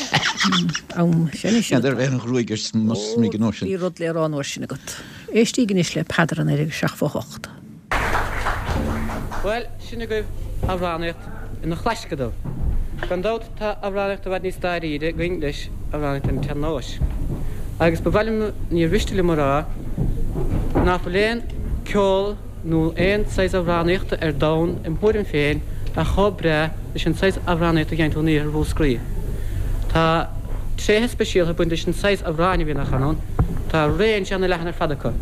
Am sin is N'fheadar ar an ghruaig ar mo smig an uair sin. Bhí rud le rá an uair sin agat. Éistíg anois le Peadar i naoi déag a seachtó a hocht. Bhuel, sin agaibh amhránaíocht ina chlaisceadal. Gan dabht tá amhránaíocht i bhfad níos dáiríre againn leis, amhránaíocht an tsean-nóis. Agus ba mhaith liom, níor mhiste liom a rá, ná fuil aon ceol nó aon saghas amhránaíochta ar domhan, im thuairim féin, atá chomh breá leis an saghas amhránaíochta a gheibheann tú in iarthar Mhúscraí. Tá tréithe speisialta ag baint leis an saghas amhráin a bhíonn á chanadh ann. Tá range ana-leathan ar fad acu.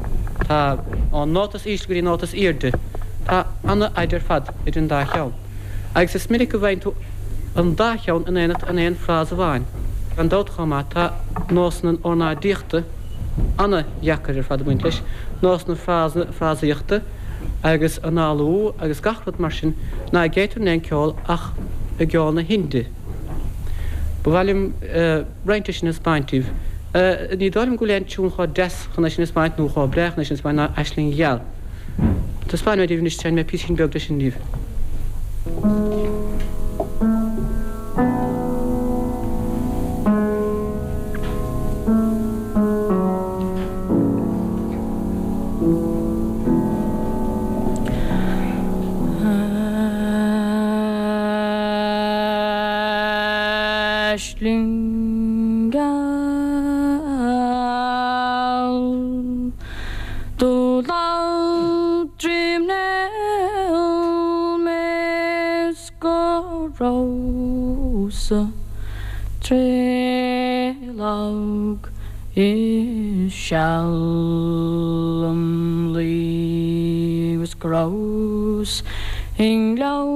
Tá ón nóta is ísle go dtí an nóta is airde. Tá ana-fhaid ar fad idir an dá cheann. Agus is minic go bhfaigheann tú an dá cheann in éineacht in aon frása amháin. Gan dabht chomh maith, tá nósanna ornáidíochta ana-dheacair ar fad ag baint leis, nósanna frásaíochta agus análú agus gach rud mar sin ná geibhtear in aon ceol ach i gceol na hInde. Ba mhaith liom roinnt de sin a 'speáint daoibh. Ní dóigh liom go bhfuil aon tiún chomh deas chun é sin a 'speáint nó chomh breá chun é sin a 'speáint ná Aisling Gheal. Taispeánfaidh mé daoibh anois, seinnfidh mé píosín beag de sin daoibh. Aisling gheal do lamh droim néill mé 's go rabhas-sa tréith lag is seal im luí 's go rabhas i nGleann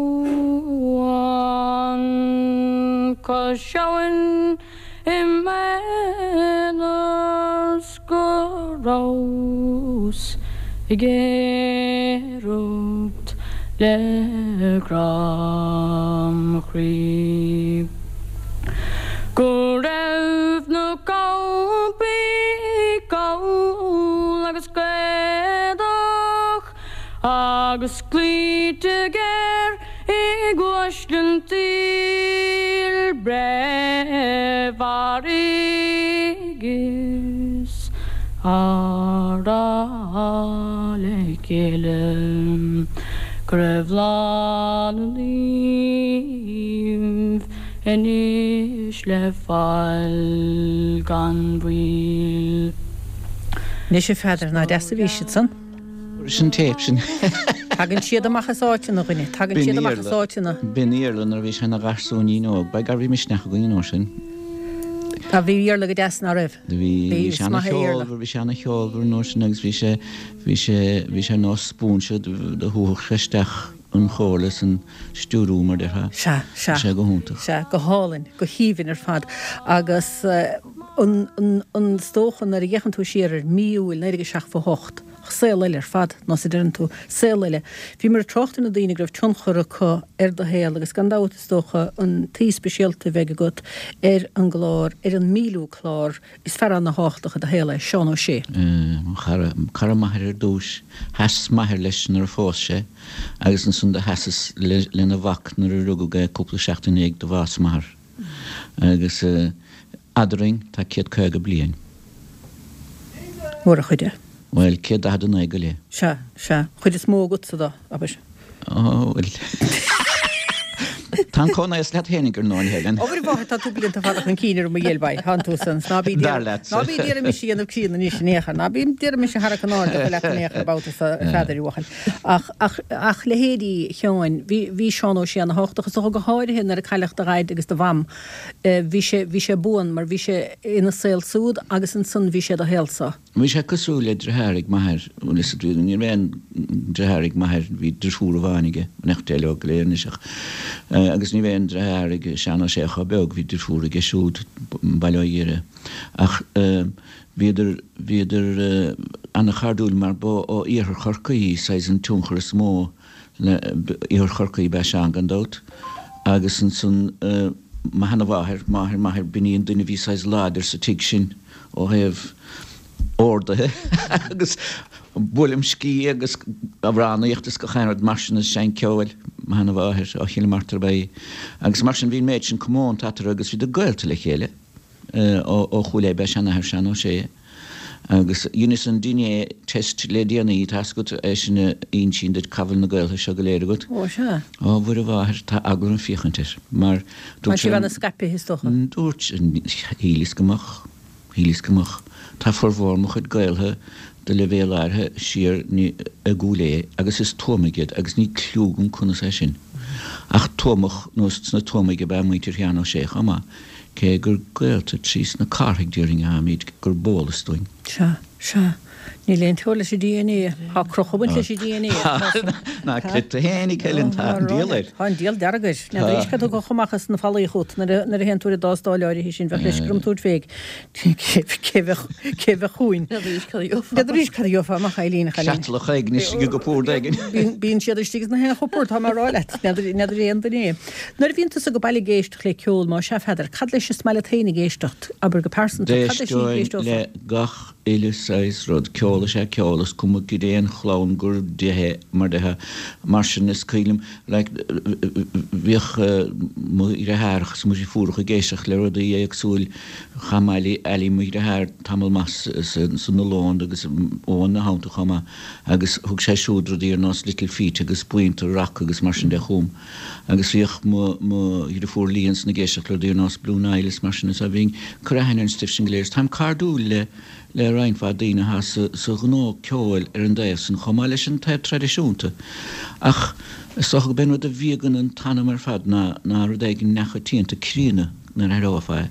cois abhann i m'aonar 's go rabhas ag aoireacht le grá mo chroí. Go raibh na campaí call agus gaodach agus cloíte géar ag uaisle an tsaoil breith mharaigh is á rá le chéile go raibh lá na naomh anois le fáil gan mhoill. Anois a Pheadair, nach deas a bhí siad san? Sin téip sin. Tagann siad amach as áiteanna, a dhuine, tagann siad amach as áiteanna. B'in Iarla nuair a bhí sé ina gharsúinín óg. By gar bhí misneach againn an uair sin. Tá, bhí Iarla go deas, ná raibh? Bhí, bhí sé ana-cheolmhar, bhí sé ana-cheolmhar an uair sin agus bhí sé, bhí sé, bhí sé ar nós spúinse, do shúfadh sé isteach an chomhairle is an stiúriú mar déarfá. Sea, sea. Bhí sé go hiontach. Sea, go hálainn, go haoibhinn ar fad. Agus an, an, an, is dócha nuair a fhéachann tú siar ar mí Iúil naoi déag a seachtó a hocht, saol eile ar fad, nós a deireann tú, saol eile. Bhíomar ag trácht ar na daoine go raibh tionchar acu ar do shaol agus gan dabht is dócha an t-aoi speisialta a bheidh agat ar an gclár, ar an míliú clár, is fear ana-thábhachtach i do shaol é, Seán Ó Sé. Mo chara, cara m'athar ar dtúis. Sheas m'athair leis nuair a phós sé agus ansan do sheasas lena mhac nuair a rugadh é cúpla seachtain i ndiaidh do bhás m'athar. Agus Eadrainn tá céad caoga bliain. Mór an chuid é. Bhuel, céad daichead a naoi go leith. Sea, sea. Chuid is mó agatsa dó, abair. Ó, bhuel. Tá an comhnaíos leat fhéinig ar ndóigh, Helen. Ó, a mháthair, tá tú blianta fada chun cinn orm, a ghéill baí. Thánn tú san. Ná bí Dar leatsa. Ná bí d'iarraidh mise a dhéanamh críonna anois in aon chor. Ná bí d'iarraidh mise a tharrac in airde leat in aon chor babhta so, a Pheadair, a bhuachaill. Ach, ach, ach leithéidí Sheáin, bhí, bhí Seán Ó Sé ana-thábhachtach, is dócha go háirithe nuair a cailleadh do dhaid agus do mham. Bhí sé, bhí sé buan mar bhí sé ina saol súd agus ansan bhí sé i do shaolsa. Bhí sé cosúil le deartháir ag m'athair, bhuel is ní raibh aon deartháir ag m'athair, bhí deirfiúr amháin aige, nach deich leo go léir anois ach, agus ní raibh aon deartháir ag Seán Ó Sé chomh beag, bhí deirfiúr aige siúd, bail ó Dhia uirthi. Ach bhíodar, bhíodar ana-chairdiúil mar ba ó iarthar Chorcaí, saghas an tionchar is mó le, iarthar Chorcaí ab ea Seán gan dabht agus ansan mo sheana-mháthair, máthair m'athar, b'in í an duine a bhí saghas láidir sa tigh sin ó thaobh orduithe agus buaileam sciath agus amhránaíocht is gach aon rud mar sin is seinnt ceoil, mo sheana-mháthair ó Chill Martra ab ea í. Agus mar sin bhí an méid sin comónta eatarthu agus bhíodar gaolta le chéile. Ó Chúil Aodha ab ea seanathair Seán Ó Sé. Agus dheineas an dna test le déanaí, tá 'fhios agat, é sin a insíonn duit cá bhfuil na gaolta seo go léir agat. Ó, sea. Ó, Mhuire Mháthair, tá eagla orm féachaint air, mar dúirt sé. Tá sibh ana-scaipthe, is dócha. Dúirt, shíleas go mbeadh. Shíleas go mbeadh. Tá formhór mo chuid gaoltha de leibhéal áirithe siar i gCúil Aodha agus is Tuamaigh iad agus níl cliú agam conas é sin. Ach Tuamach nó sna Tuamaigh ab ea muintir Sheáin Ó Sé chomh maith, cé gur gaolta trí sna Cárthaigh déarfainn atáimid gur b'eolas dúinn. Sea, sea. Níl aon teora leis an dna. Tá croch ag baint leis an dna. Ná creid tú fhéinig, Helen, tá an diabhal air. Tá an diabhal dearg air. N'fheadar arís cad a thiocfadh amach as na fallaí chugat nuair a théann tú ar an dtástáil áirithe sin, bheadh leisce orm tabhairt fé cé bheadh cé bheadh chugainn. N'fheadar arís cad a gheofá. N'fheadar arís cad a gheofá amach, Eileen, a chailín. Creatlach éigin istigh i gcupard éigin. Bíonn siad istigh sna haon chupard, tá mé a rá leat. N'fheadar aon duine é. Nuair a bhíonn tusa ag baile ag éisteacht le ceol, má sea, Pheadair, cad leis is maith leat féin ag éisteacht, abair go pearsanta, cad leis a D'éisteoinn éisteofá? le gach uile saghas rud. Ceol is ea ceol, is cuma cad é an chlann gur de é, mar déarfá. Mar sin, is cuimhin liom, like, bhíodh mo dheartháireacha is mo dhriofúracha ag éisteacht le rudaí éagsúil. Chaith Mailí, Ali, mo dheartháir, tamall maith san Ollónd agus Eoin ina theannta chomh maith agus thug sé siúd rudaí ar nós Little Feat agus buíonta rac agus mar sin de chugam. Agus bhíodh mo, mo dhriofúr Lee ansan ag éisteacht le rudaí ar nós Blue Nile is mar sin is bhínn ag cur aithne ar an stuif sin go léir is táim cairdiúil le le roinnt mhaith daoine atá sa sa ghnó ceoil ar an dtaobh san chomh maith leis an taobh traidisiúnta. Ach is dócha gurb é an rud a bhíogann an t-anam ar fad ná ná rud éigin neamhchoitianta críonna nuair a aireofá é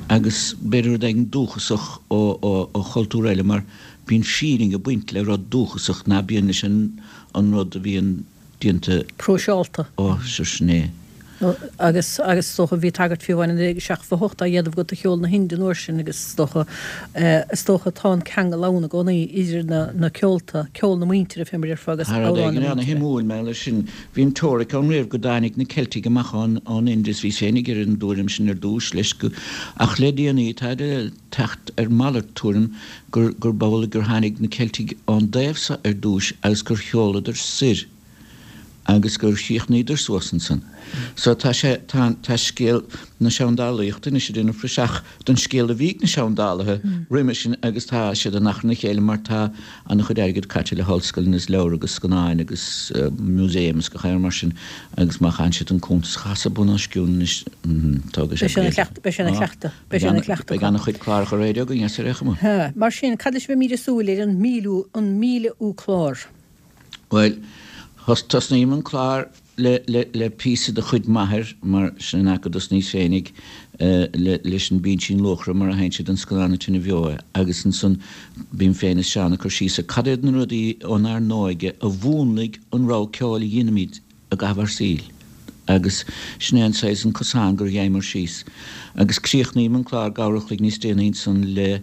agus b'fhéidir rud éigin dúchasach ó ó ó chultúr eile mar bíonn fírinne ag baint le rud dúchasach ná bíonn leis an an rud a bhíonn déanta. Próiseálta. Ó, sure sin é. Agus, agus is dócha, bhí tagairt fiú amháin i naoi déag seachtó a hocht á dhéanamh agat do cheol na hInde an uair sin agus is dócha, is dócha tá an ceangal ann i gcónaí idir na, na ceolta, ceol na muintire fé mar a déarfá agus Tá rud amhráin éigin na muintire. ana-shuimiúil maidir leis sin. Bhí an teoiric ann riamh go dtáinig na Ceiltigh amach ón, ón Ind is bhíos féinig ar an dtuairim sin ar dtúis leis go, ach le déanaí táid ag teacht ar mhalairt tuairim gur, gurb amhlaidh gur tháinig na Ceiltigh ón dtaobh so ar dtúis agus gur sheoladar soir. agus gur chríochnaíodar suas ansan. So tá sé, tá, tá scéal na seandálaíochta anois ag déanamh praiseach don scéal a bhí ag na seandálaithe roimhe sin agus tá siad in achrann a chéile mar tá an-chuid airgid caite le hollscoileanna is leabhair agus scannáin agus museums is gach aon rud mar sin agus má chaitheann siad an cuntas a chasadh bun os cionn anois, tógfaidh sé Beidh sé ina blianta. chleachtadh, beidh sé ina chleachtadh, beidh sé ina chleachtadh Beidh acu. an-chuid cláracha raidió againn as ar aon chuma. Ha, mar sin, cad leis a bheimid ag súil ar an míliú, an míle-ú clár? Bhuel, tosnaím an clár le, le, le píosa de chuid m'athair, mar sin an áit go dtosnaíos féinig, le, leis an bPinsean Luachra mar a sheinn siad don scannán An Tine Bheo é, agus ansan bím féin is Seán ag cur síos ar cad iad na rudaí ónár n-óige a mhúnlaigh an rogha ceoil a dheinimid i gcaitheamh ár saoil. Agus sin é an saghas, an cosán gur gheibheamar síos. Agus críochnaím an clár leathuair a chloig níos déanaí ansan le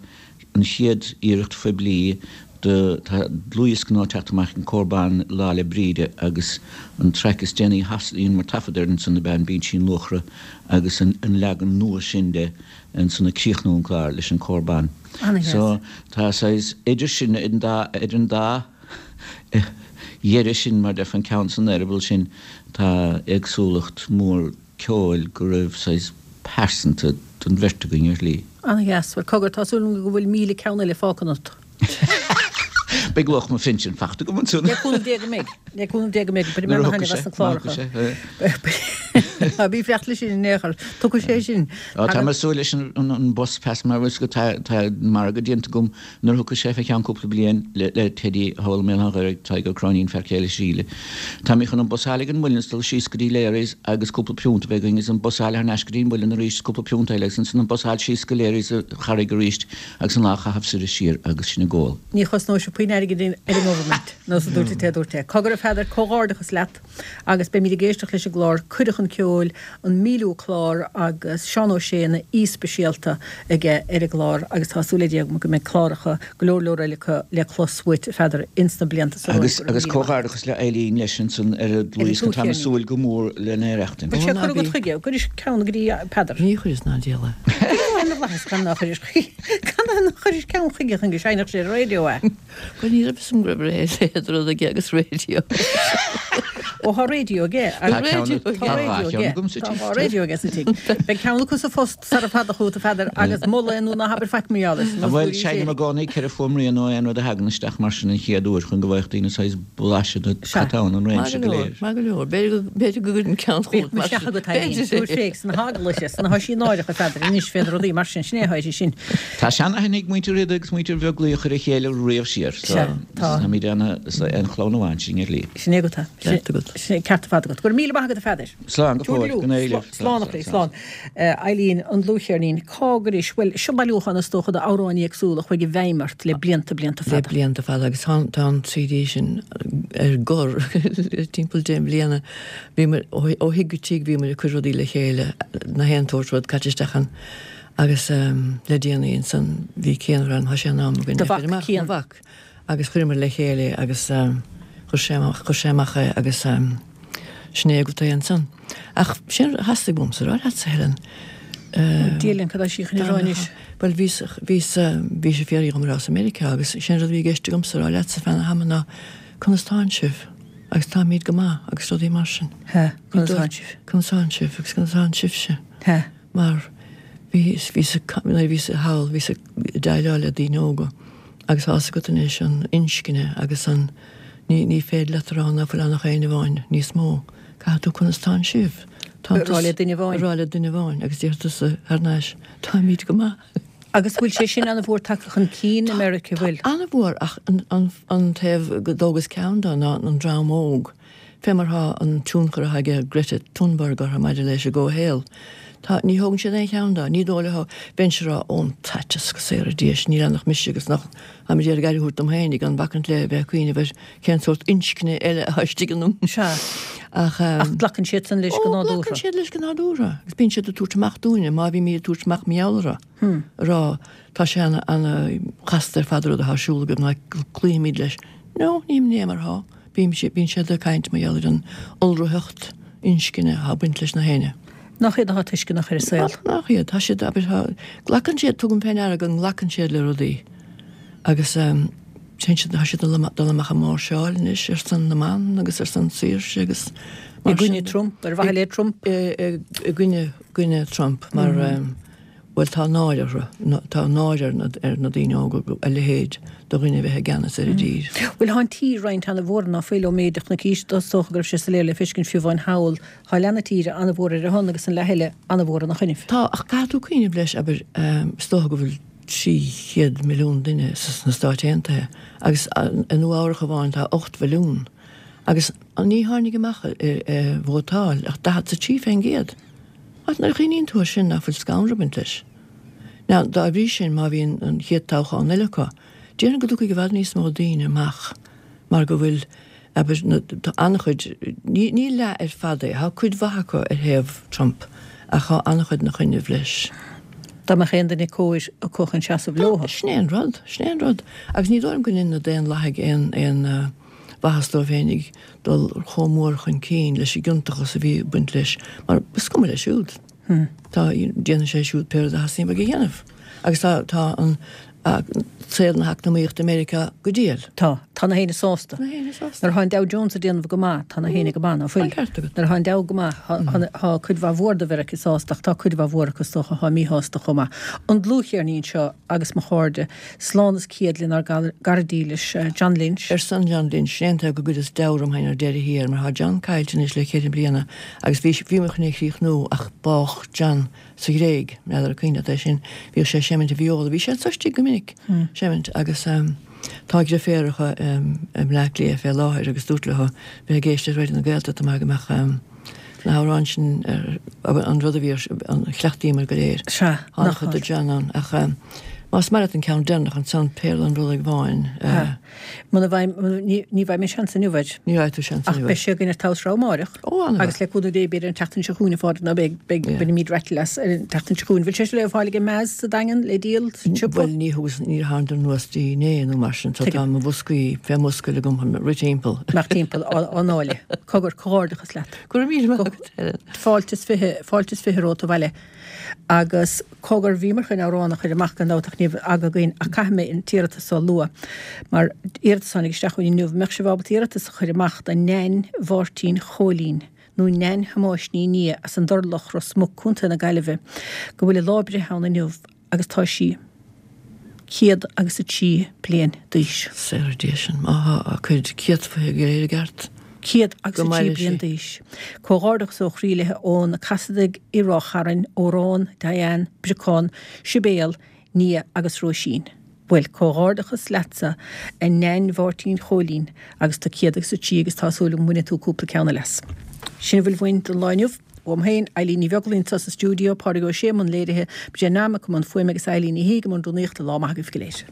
an chéad iarracht phoiblí de, tá dlúthdhiosca nua ag teacht amach ag an Cór Ban Lá 'le Bríde agus an traic is déanaí a dheineamar taifead air ansan ab ea an Binsín Luachra agus an leagan nua sin de ansan ag críochnú an clár leis an Cór Ban. So tá saghas idir sin, idir an dá dheireadh sin, mar déarfá, an ceann san eireaball sin, tá éagsúlacht mhór ceoil go raibh saghas pearsanta don bheirt againn ar shlí. Ana-dheas. Bhuel, cogar, tá súil agam go bhfuil míle ceann eile fágtha ionat. Beidh luach mo phinsin fachta agam ansan. Le cúnamh Dé go mbeidh. Le cúnamh Dé go mbeidh. Beidh mé Nuair a ana-thaitneamh thiocfaidh as sé, na cláracha. má thiocfaidh sé. Bí ag faire leis sin in aon chor. Tiocfaidh sé sin. Á, tá mé ag súil leis an an bus pass mar bhfuil 's agat tá tá margadh déanta agam nuair a thiocfaidh sé fé cheann cúpla bliain le le Teddy thall i mBéal Átha an Ghaorthaidh, Tadhg Ó Cróinín, fear céile Síle. Tá mé chun an bus a fháil ag an Muileann is dul síos go dtí Leary's agus cúpla piúnt a bheith againn agus an bus a fháil thar n-ais go dtí an Muileann arís is cúpla piúnt eile agus ansan an bus a fháil síos go Leary's sa Charraig arís agus an lá a chaitheamh soir is siar agus sin ag ól. Ní chosnóidh sé puinn airgid ar an nGovernment, nó sa dúirt é dúirt é. Cogar a Pheadair, comhghairdeachas leat agus beimid ag éisteacht leis an gclár Cuireadh chun Ceoil, an míliú clár agus Seán Ó Sé ina aoi speisialta aige ar an gclár agus tá súil le Dia agam go mbeidh cláracha go leor leor eile acu le clos uait, a Pheadair, ins na blianta so romhainn. Agus agus comhghairdeachas le Eileen leis ansan ar an dlúthdhiosca, táim ag súil go mór lena aireachtaint. Bhfuil sé curtha agat chuige? Gcuiris ceann go dtí Peadar? Ní chuireas ná diabhal é. Cad ina bhflaitheas gan ná chuiris chuige? Cad ná chuiris ceann chuige chun go seinnfeadh sé ar an raidió é? Bhuel ní raibh fhios agam go raibh a leithéid de rud aige agus raidió. Ó tá raidió aige. Tá raidió aige. Tá dhá cheann agam sa Tá tigh. dhá raidió aige sa tigh. Beidh ceann acu sa phost sara fada chugat a Pheadair agus mol é nó ná habair faic mar gheall air. Bhuel seinnim i gcónaí ceithre fuaimrian nó aon rud a thagann isteach mar sin an chéad uair chun go bhfaigheadh daoine saghas blaiseadh de Sea. cad tá ann an Maith réimse go go leor, léir. maith go leor. B'fhéidir go, b'fhéidir go gcuirfinn ceann Bíodh chugat mar isteach sin. agat Eileen. B'fhéidir. Tabhair féach sna heaglais sna tá sí náireach a Pheadair anois fé na rudaí mar sin, sin é atá uirthi sin. Tá seanaithne ag muintir Riada agus muintir Bheaglaoich ar a chéile riamh siar so Sea, tá. táimid ana, an chlann amháin sin ar shlí. Sin é agat é. Ceart agat. Sin é ceart ar fad agat. Go raibh míle maith agat a Pheadair. Slán go fóill, go n-éirí libh. Slán a chroí, slán. Eileen, an dlúthcheirnín, cá gcuiris, bhuel, seo bailiúchán is dócha d'amhráin éagsúla a chuaigh i bhfeidhm ort le blianta, blianta Le fada. blianta fada agus tá tá an CD sin ar gor le timpeall deich mbliana. Bhíomar ó ó thigh go tigh bhíomar ag cur rudaí le chéile, na haon tsórt rud caite isteach ann agus le déanaí ansan bhí Cian a rá tá sé in am againn Do é mhac, chur amach, Cian. mo mhac. Agus chuireamar le chéile agus chuir sé amach, chuir sé amach é agus sin é agat é ansan. Ach sin a theastaigh uaimse a rá leatsa, Helen. Dia linn, cad é sí chun a rá anois? Bhuel bhíos, bhíos, bhí sé fiafraí dhom an rabhas i Meiriceá agus sin rud a bhí i gceist agamsa a rá leatsa feadh an ama ná conas tánn sibh agus táimid go maith agus rudaí mar sin. He, conas tánn sibh? Conas tánn sibh agus conas tánn sibhse? He. Mar bhí, bhíos, nuair a bhíos thall, bhíos ag déileáil le daoine óga agus tá fhios agat anois an inscne agus an, ní, ní féidir leat a rá ná fuil ann ach éinne amháin níos mó. Caithfidh tú conas tánn sibh? Tá A rá le duine amháin. A rá le duine amháin agus deir tusa thar n-ais, táimid go maith. Agus bhfuil sé sin an-mhór tagtha chun cinn i Meiriceá, bhfuil? Tá an-mhór ach an, an, an taobh go dtógas ceann de ná an dream óg. Fé mar thá an tionchar atá aige Greta Thunberg orthu maidir leis an gcomhshaol. Tá, ní thógann siad aon cheann de, ní dóigh leo, bheinnse ag rá ón t-aiteas go saora Dia is níl ann ach mise agus nach táimid ag iarraidh aire a thabhairt dom féin gan bacaint le bheith ag cuimhneamh ar cén sórt inscne eile atá istigh ionam. Sea. Ach, Ach glacann siad san leis go Ó, nádúrtha. glacann siad leis go nádúrtha. Agus bíonn siad ag tabhairt amach dúinne, má bhímid ag tabhairt amach mar gheall orthu. Ag rá, tá sé ana, ana chasta ar fad an rud atá ar siúl agaibh ná cloífimid leis. No, ní ní mar thá. Bíonn siad, bíonn siad ag caint mar gheall ar an iolraitheacht inscne atá ag baint leis na héinne. Nach iad atá tuisceanach ar an saol. Nach iad, tá siad, abair, tá, glacann siad, tugaim fé ndeara go nglacann siad le rudaí. Agus um, téann siad, tá siad dul dul amach ag máirseáil anois ar son na mban agus ar son saoirse agus I gcoinne Trump, ar mhaithe le Trump. I, i, i gcoinne, gcoinne Trump mar mm -hmm. um, bhuel tá náire orthu, tá náire ar na, ar na daoine óga a leithéid de dhuine a bheith i gceannas ar an dtír. Bhuel tá an tír roinnte an-mhór ná fuil ó méid na císte is dócha go raibh sé soiléir le feiscint fiú amháin thall tá leath na tíre an-mhór ar a shon agus an leath eile an-mhór ina choinnibh. Tá ach caithfidh tú cuimhneamh leis abair um, is dócha go bhfuil trí chéad milliún duine sna Stáit Aontaithe agus i Nua-Eabhrac amháin tá ocht mhilliún. Agus ní tháinig amach ar, ar vótáil ach daichead a trí faoin gcéad. Ach nuair a chuimhníonn tú air sin nach bhfuil scanradh ag baint leis. Now, dá bhrí sin má bhíonn an chéad toghchán eile acu, déarfainn go dtiocfaidh i bhfad níos mó daoine amach mar go bhfuil abair, na, tá an-chuid, ní, ní leath ar fad é, tá cuid mhaith acu ar thaobh Trump ach tá an-chuid ina choinnibh leis. Dá mbeadh aon duine cóir acu chun seasamh leo. Sin é an rud, sin é an rud. Agus ní dóigh liom go ndéanann na Daonlathaigh aon, aon uh, mhaitheas dóibh féinig dul chomh mór chun cinn leis an gciontachas a bhí ag baint leis, mar is cuma leis siúd. Hmm. Tá déanann sé siúd pé rud a theastaíonn uaidh a dhéanamh. Agus tá, tá an, saol na heacnamaíochta i Meiriceá go diail. Tá. Tá na héinne sásta. Na héinne sásta. Nuair atá an Dow Jones ag déanamh go maith, tá na héinne go maith, ná fuil? Tá an ceart agat. Nuair atá an Dow go maith, tá cuid mhaith mhór de Mheiriceá sásta ach tá cuid mhaith mhór acu is dócha atá míshásta chomh maith. An dlúthcheirnín seo agus mo chairde, slán is céad lenár gcara dílis, John Lynch. Ar son John Lynch, sin é an taobh go gcuireas deabhadh orm féin ar deireadh thiar mar tá John caillte anois le ceithre bliana agus bhí, bhí mé chun é a chríochnú ach bádh John sa Ghréig, n'fheadar an cuimhin leat é sin, bhíodh sé ag seimint a vióla, bhí sé anso istigh go minic, seimint agus tá a dheirféaracha i mBleá Cliath fé láthair agus dúrt leo bheith ag éisteacht le Raidió na Gaeltachta mar go mbeadh na hamhráin sin ar an rud a bhí ar, an chleachtaíomar go léir. Sea, nach chuid de John ann ach más maith leat an ceann deireanach ansan, Péarla an Bhrollaigh Bháin. Sea. Muna bhfaighim, ní bhfaighidh mé seans inniu air. Ní bhfaighidh tú seans Ach inniu beidh air. sé againn ar Tomhas Rogha amáireach. Ó, an-mhaith. Agus le cúnamh Dé b'fhéidir an tseachtain seo chugainn, a Phádraig, nó beidh, beidh, Yeah. bainfimid rattle as ar an tseachtain seo chugainn. Bhfuil sé seo le fáil ag Maz sa Daingean le díol sa tsiopa? Bhuel, ní thugas, níor thánadar anuas dtí inné nó mar sin, so Tuigim. tá mo bhoscaí fé m'oscail agam chun rith timpeall. Imeacht timpeall á, á ndáileadh. Cogar, comhghairdeachas leat. Go raibh míle maith agat, Helen. Fáilte is fiche, fáilte is fiche romhat abhaile. Agus cogar, bhíomar chun amhrán a chur amach gan dabht ach ní raibh aga againn ach caithfidh mé an t-iarratas seo a lua mar iarratas a tháinig isteach chugainn inniu, mbeadh sibh ábalta iarratas a chur amach do Neain Mháirtín Chóilín nó Neain Thomáis Ní Nia as an Durlach, Ros Muc, Contae na Gaillimhe, go bhfuil a lá breithe ann inniu agus tá sí céad agus a trí bliain d'aois. Saoradh Dé sin, má thá a cuid céadfaithe go léir i gceart. Céad agus Go a trí maire bliain sí. d'aois. Comhghairdeachas ó chroí léi ó na Casaidigh i Ráth Chairn, Odhrán, Diane, Briocán, Sibéal, Nia agus Róisín. Bhuel, comhghairdeachas leatsa, a Neain Mháirtín Chóilín, agus tú céad agus a trí agus tá súil agam go mbainfidh tú cúpla ceann eile as. Sin a bhfuil uainn don lá inniu. Uaim féin, Eilín Ní Bheaglaoí anseo sa stiúideo, Pádraig Ó Sé i mbun léirithe, Jen Nammock i mbun fuaime agus Eilín Ní Shé i mbun rúnaíochta. Lá maith agaibh go léir.